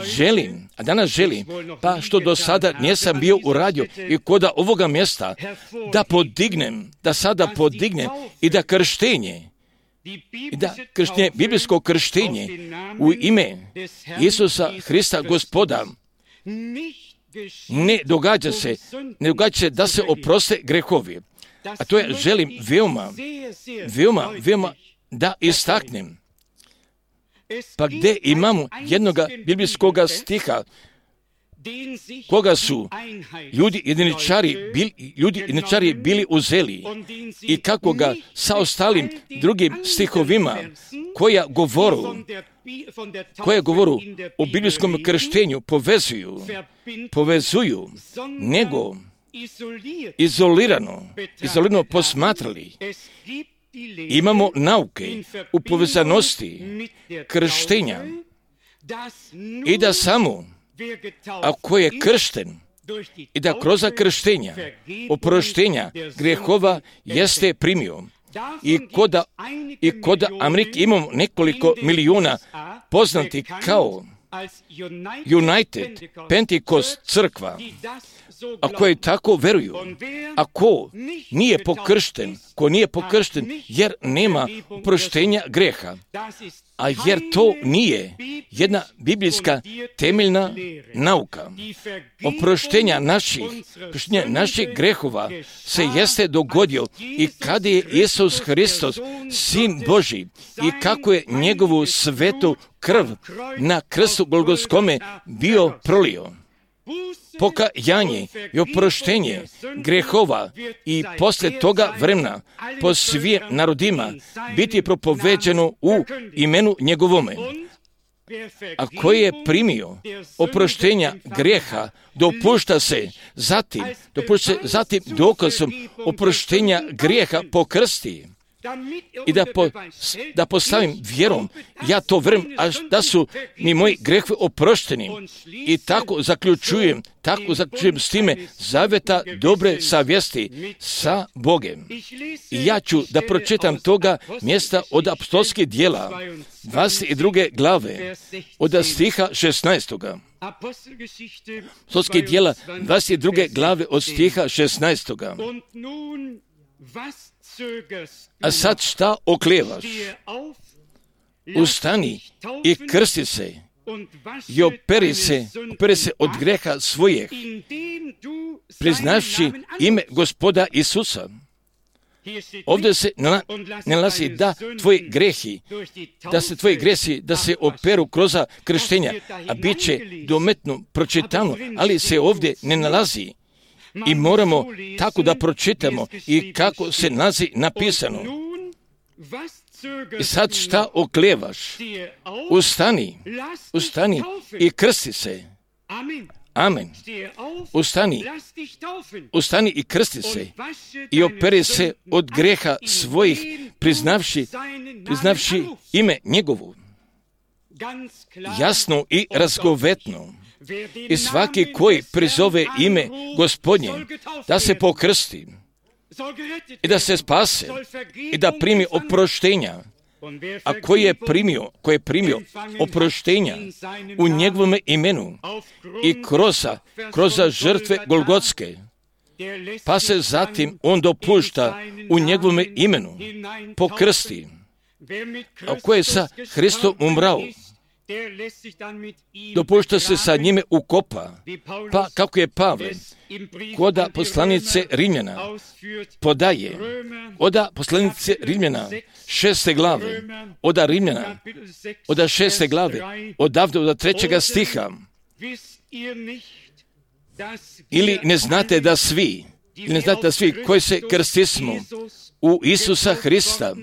želim, a danas želim, pa što do sada nisam bio uradio i koda ovoga mjesta, da podignem, da sada podignem i da krštenje, i da krštenje, biblijsko krštenje u ime Isusa Hrista Gospoda ne događa se, ne događa se da se oproste grehovi. A to je želim veoma, veoma, veoma da istaknem. Pa gdje imamo jednoga biblijskog stiha koga su ljudi jediničari bili, ljudi jediničari bili uzeli i kako ga sa ostalim drugim stihovima koja govoru, koje govoru o biblijskom krštenju povezuju, povezuju, nego izolirano, izolirano posmatrali. Imamo nauke u povezanosti krštenja i da samo ako je kršten i da kroz krštenja oproštenja grehova jeste primio. I koda, i koda Amerike imamo nekoliko milijuna poznati kao United Pentecost crkva, a koje tako veruju, a ko nije pokršten, ko nije pokršten jer nema oproštenja greha, a jer to nije jedna biblijska temeljna nauka. Oproštenja naših, oproštenja naših grehova se jeste dogodio i kada je Isus Hristos, Sin Božji, i kako je njegovu svetu krv na krstu Golgotskome bio prolio. Pokajanje i oproštenje grehova i poslije toga vremena po svim narodima biti propoveđeno u imenu njegovome. A koji je primio oproštenja greha, dopušta se zatim, dopušta se zatim dokazom oproštenja greha pokrsti. I da, po, da postavim vjerom, ja to vrem, a da su mi moji grehovi oprošteni. I tako zaključujem, tako zaključujem s time zaveta dobre savjesti sa Bogem. I ja ću da pročitam toga mjesta od apostolskih djela, dvadeset druge glave, od stiha šesnaestoga. Apostolskih djela, dvadeset druge glave, od stiha šesnaestoga. A sad šta oklevaš? Ustani i krsti se i operi se, operi se od greha svojih, priznavši ime Gospoda Isusa. Ovdje se nalazi da tvoji grehi, da se tvoji gresi, da se operu kroz krštenja, a bit će dometno pročitano, ali se ovdje ne nalazi. I moramo tako da pročitamo i kako se nalazi napisano. I sad šta oklevaš? Ustani, ustani i krsti se. Amen. Ustani, ustani i krsti se i operi se od greha svojih, priznavši, priznavši ime njegovu. Jasno i razgovetno. I svaki koji prizove ime Gospodnje, da se pokrsti i da se spase i da primi oproštenja, a koji je primio, koji je primio oproštenja u njegovome imenu i kroz, kroz žrtve Golgotske, pa se zatim on dopušta u njegovome imenu pokrsti, a koji je sa Hristom umrao, dopušta se sa njime ukopa, pa kako je Pavle koda poslanice Rimljana podaje, oda poslanice Rimljana šeste glave, oda Rimljana, oda šeste glave, odavde od trećega stiha. Ili ne znate da svi Ili ne znate da svi koji se krstismo u Isusa Hrista,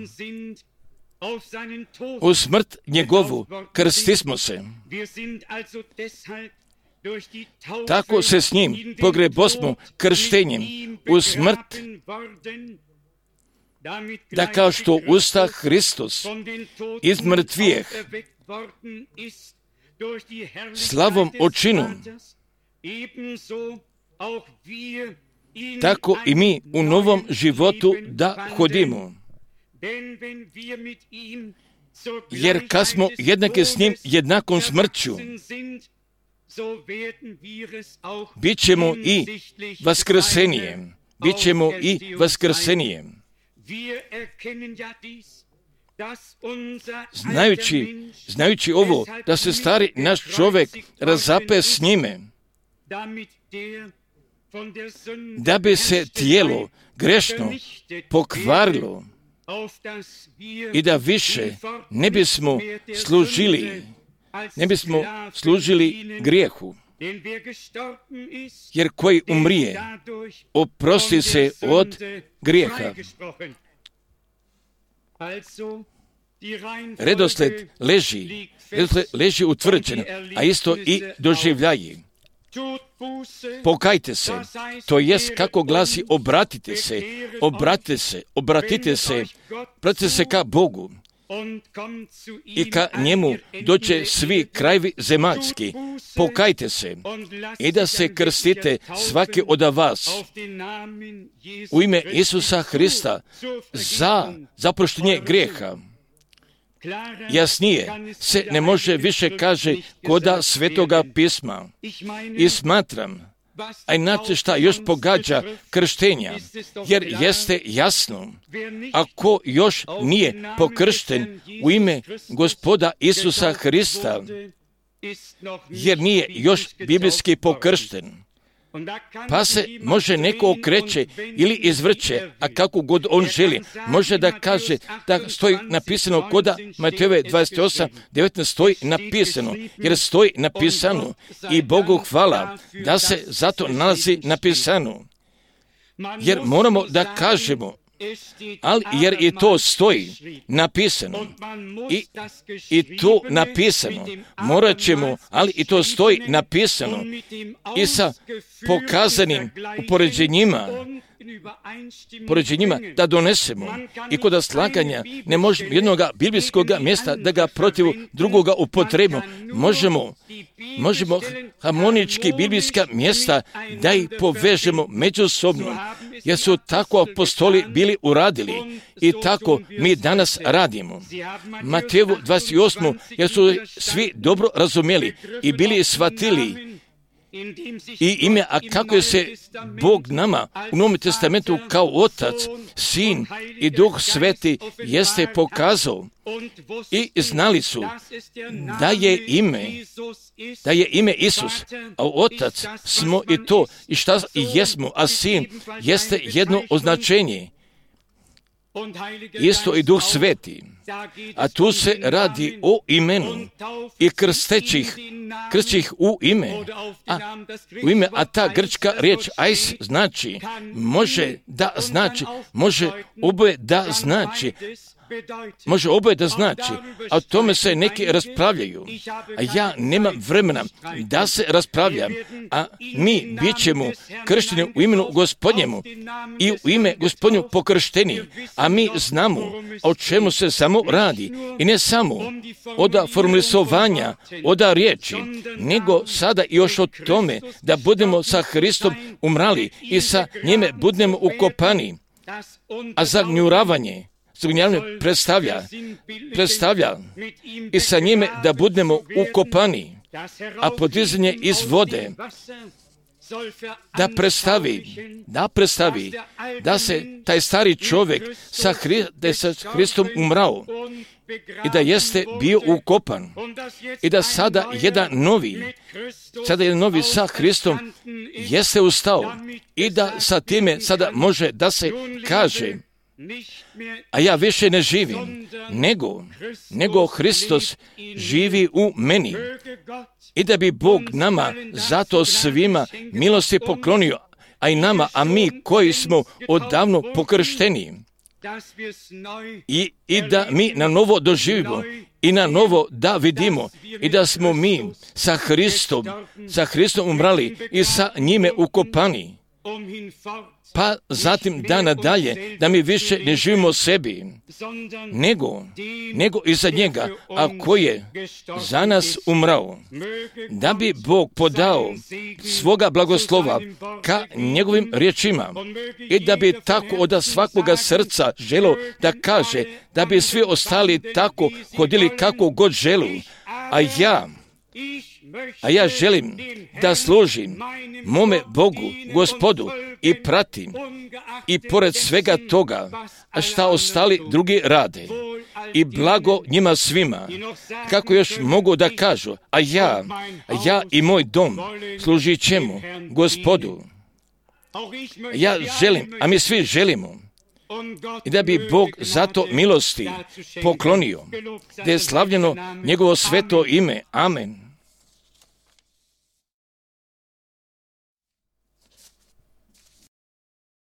u smrt njegovu, krstismo se. Tako se s njim pogrebosmo krštenjem u smrt, da kao što usta Hristos iz mrtvijeh slavom očinu, tako i mi u novom životu da hodimo. Jer kad smo jednake s njim jednakom smrću, bit ćemo i vaskrsenijem. Bit ćemo i vaskrsenijem. Znajući, znajući ovo, da se stari naš čovjek razape s njime, da bi se tijelo grešno pokvarilo i da više ne bismo služili, ne bismo služili grijehu. Jer koji umrije, oprosti se od grijeha. Redosled leži, redosled leži utvrđen, a isto i doživljaji. Pokajte se, to jest kako glasi obratite se, obratite se, obratite se, obratite se ka Bogu i ka njemu doće svi krajevi zemaljski. Pokajte se i da se krstite svaki od vas u ime Isusa Hrista za zaproštenje grijeha. Jasnije se ne može više kaže koda Svetoga pisma. I smatram, a inače šta još pogađa krštenja, jer jeste jasno, ako još nije pokršten u ime Gospoda Isusa Hrista, jer nije još biblijski pokršten, pa se može neko okreće ili izvrće, a kako god on želi. Može da kaže da stoji napisano koda Matejove dvadeset osam devetnaest stoji napisano, jer stoji napisano i Bogu hvala da se zato nalazi napisano. Jer moramo da kažemo, ali jer i to stoji napisano i, i to napisano morat ćemo, ali i to stoji napisano i sa pokazanim upoređenjima poređenjima da donesemo i kod slaganja ne možemo jednog biblijskog mjesta da ga protiv drugoga upotrebimo. Možemo, možemo harmonički biblijska mjesta da ih povežemo međusobno, jer su tako apostoli bili uradili i tako mi danas radimo. Mateju dvadeset osam jer su svi dobro razumjeli i bili shvatili i ime, a kako je se Bog nama u Novom testamentu kao Otac, Sin i Duh Sveti jeste pokazao i znali su da je ime, da je ime Isus, a Otac smo i to i šta i jesmo, a Sin jeste jedno označenje. Isto i Duh Sveti, a tu se radi o imenu i krstećih, krstećih u ime, a, u ime, a ta grčka riječ ais znači, može da znači, može oboje da znači, može oboje da znači, a o tome se neki raspravljaju, a ja nemam vremena da se raspravljam, a mi bit ćemo kršteni u imenu Gospodnjemu i u ime Gospodnju pokršteni, a mi znamo o čemu se samo radi i ne samo od formulisovanja, od riječi, nego sada još o tome da budemo sa Hristom umrali i sa njime budemo ukopani, a zagnjuravanje Zagnjavanje predstavlja, predstavlja i sa njime da budemo ukopani, a podizanje iz vode da predstavi, da predstavi da se taj stari čovjek sa, Hri, da je sa Hristom umrao i da jeste bio ukopan i da sada jedan novi, sada jedan novi sa Hristom jeste ustao i da sa time sada može da se kaže, a ja više ne živim, nego, nego Hristos živi u meni. I da bi Bog nama zato svima milosti poklonio, a i nama, a mi koji smo odavno pokršteni. I, I da mi na novo doživimo i na novo da vidimo i da smo mi sa Hristom, sa Hristom umrali i sa njime ukopani. Pa zatim da nadalje, da mi više ne živimo sebi, nego, nego i za njega, a koji je za nas umrao, da bi Bog podao svoga blagoslova ka njegovim riječima i da bi tako od svakoga srca želo da kaže, da bi svi ostali tako hodili kako god želu, a ja, a ja želim da služim mome Bogu, Gospodu, i pratim i pored svega toga šta ostali drugi rade i blago njima svima, kako još mogu da kažu, a ja, a ja i moj dom služit ćemo Gospodu. Ja želim, a mi svi želimo, i da bi Bog zato milosti poklonio, da je slavljeno njegovo sveto ime. Amen.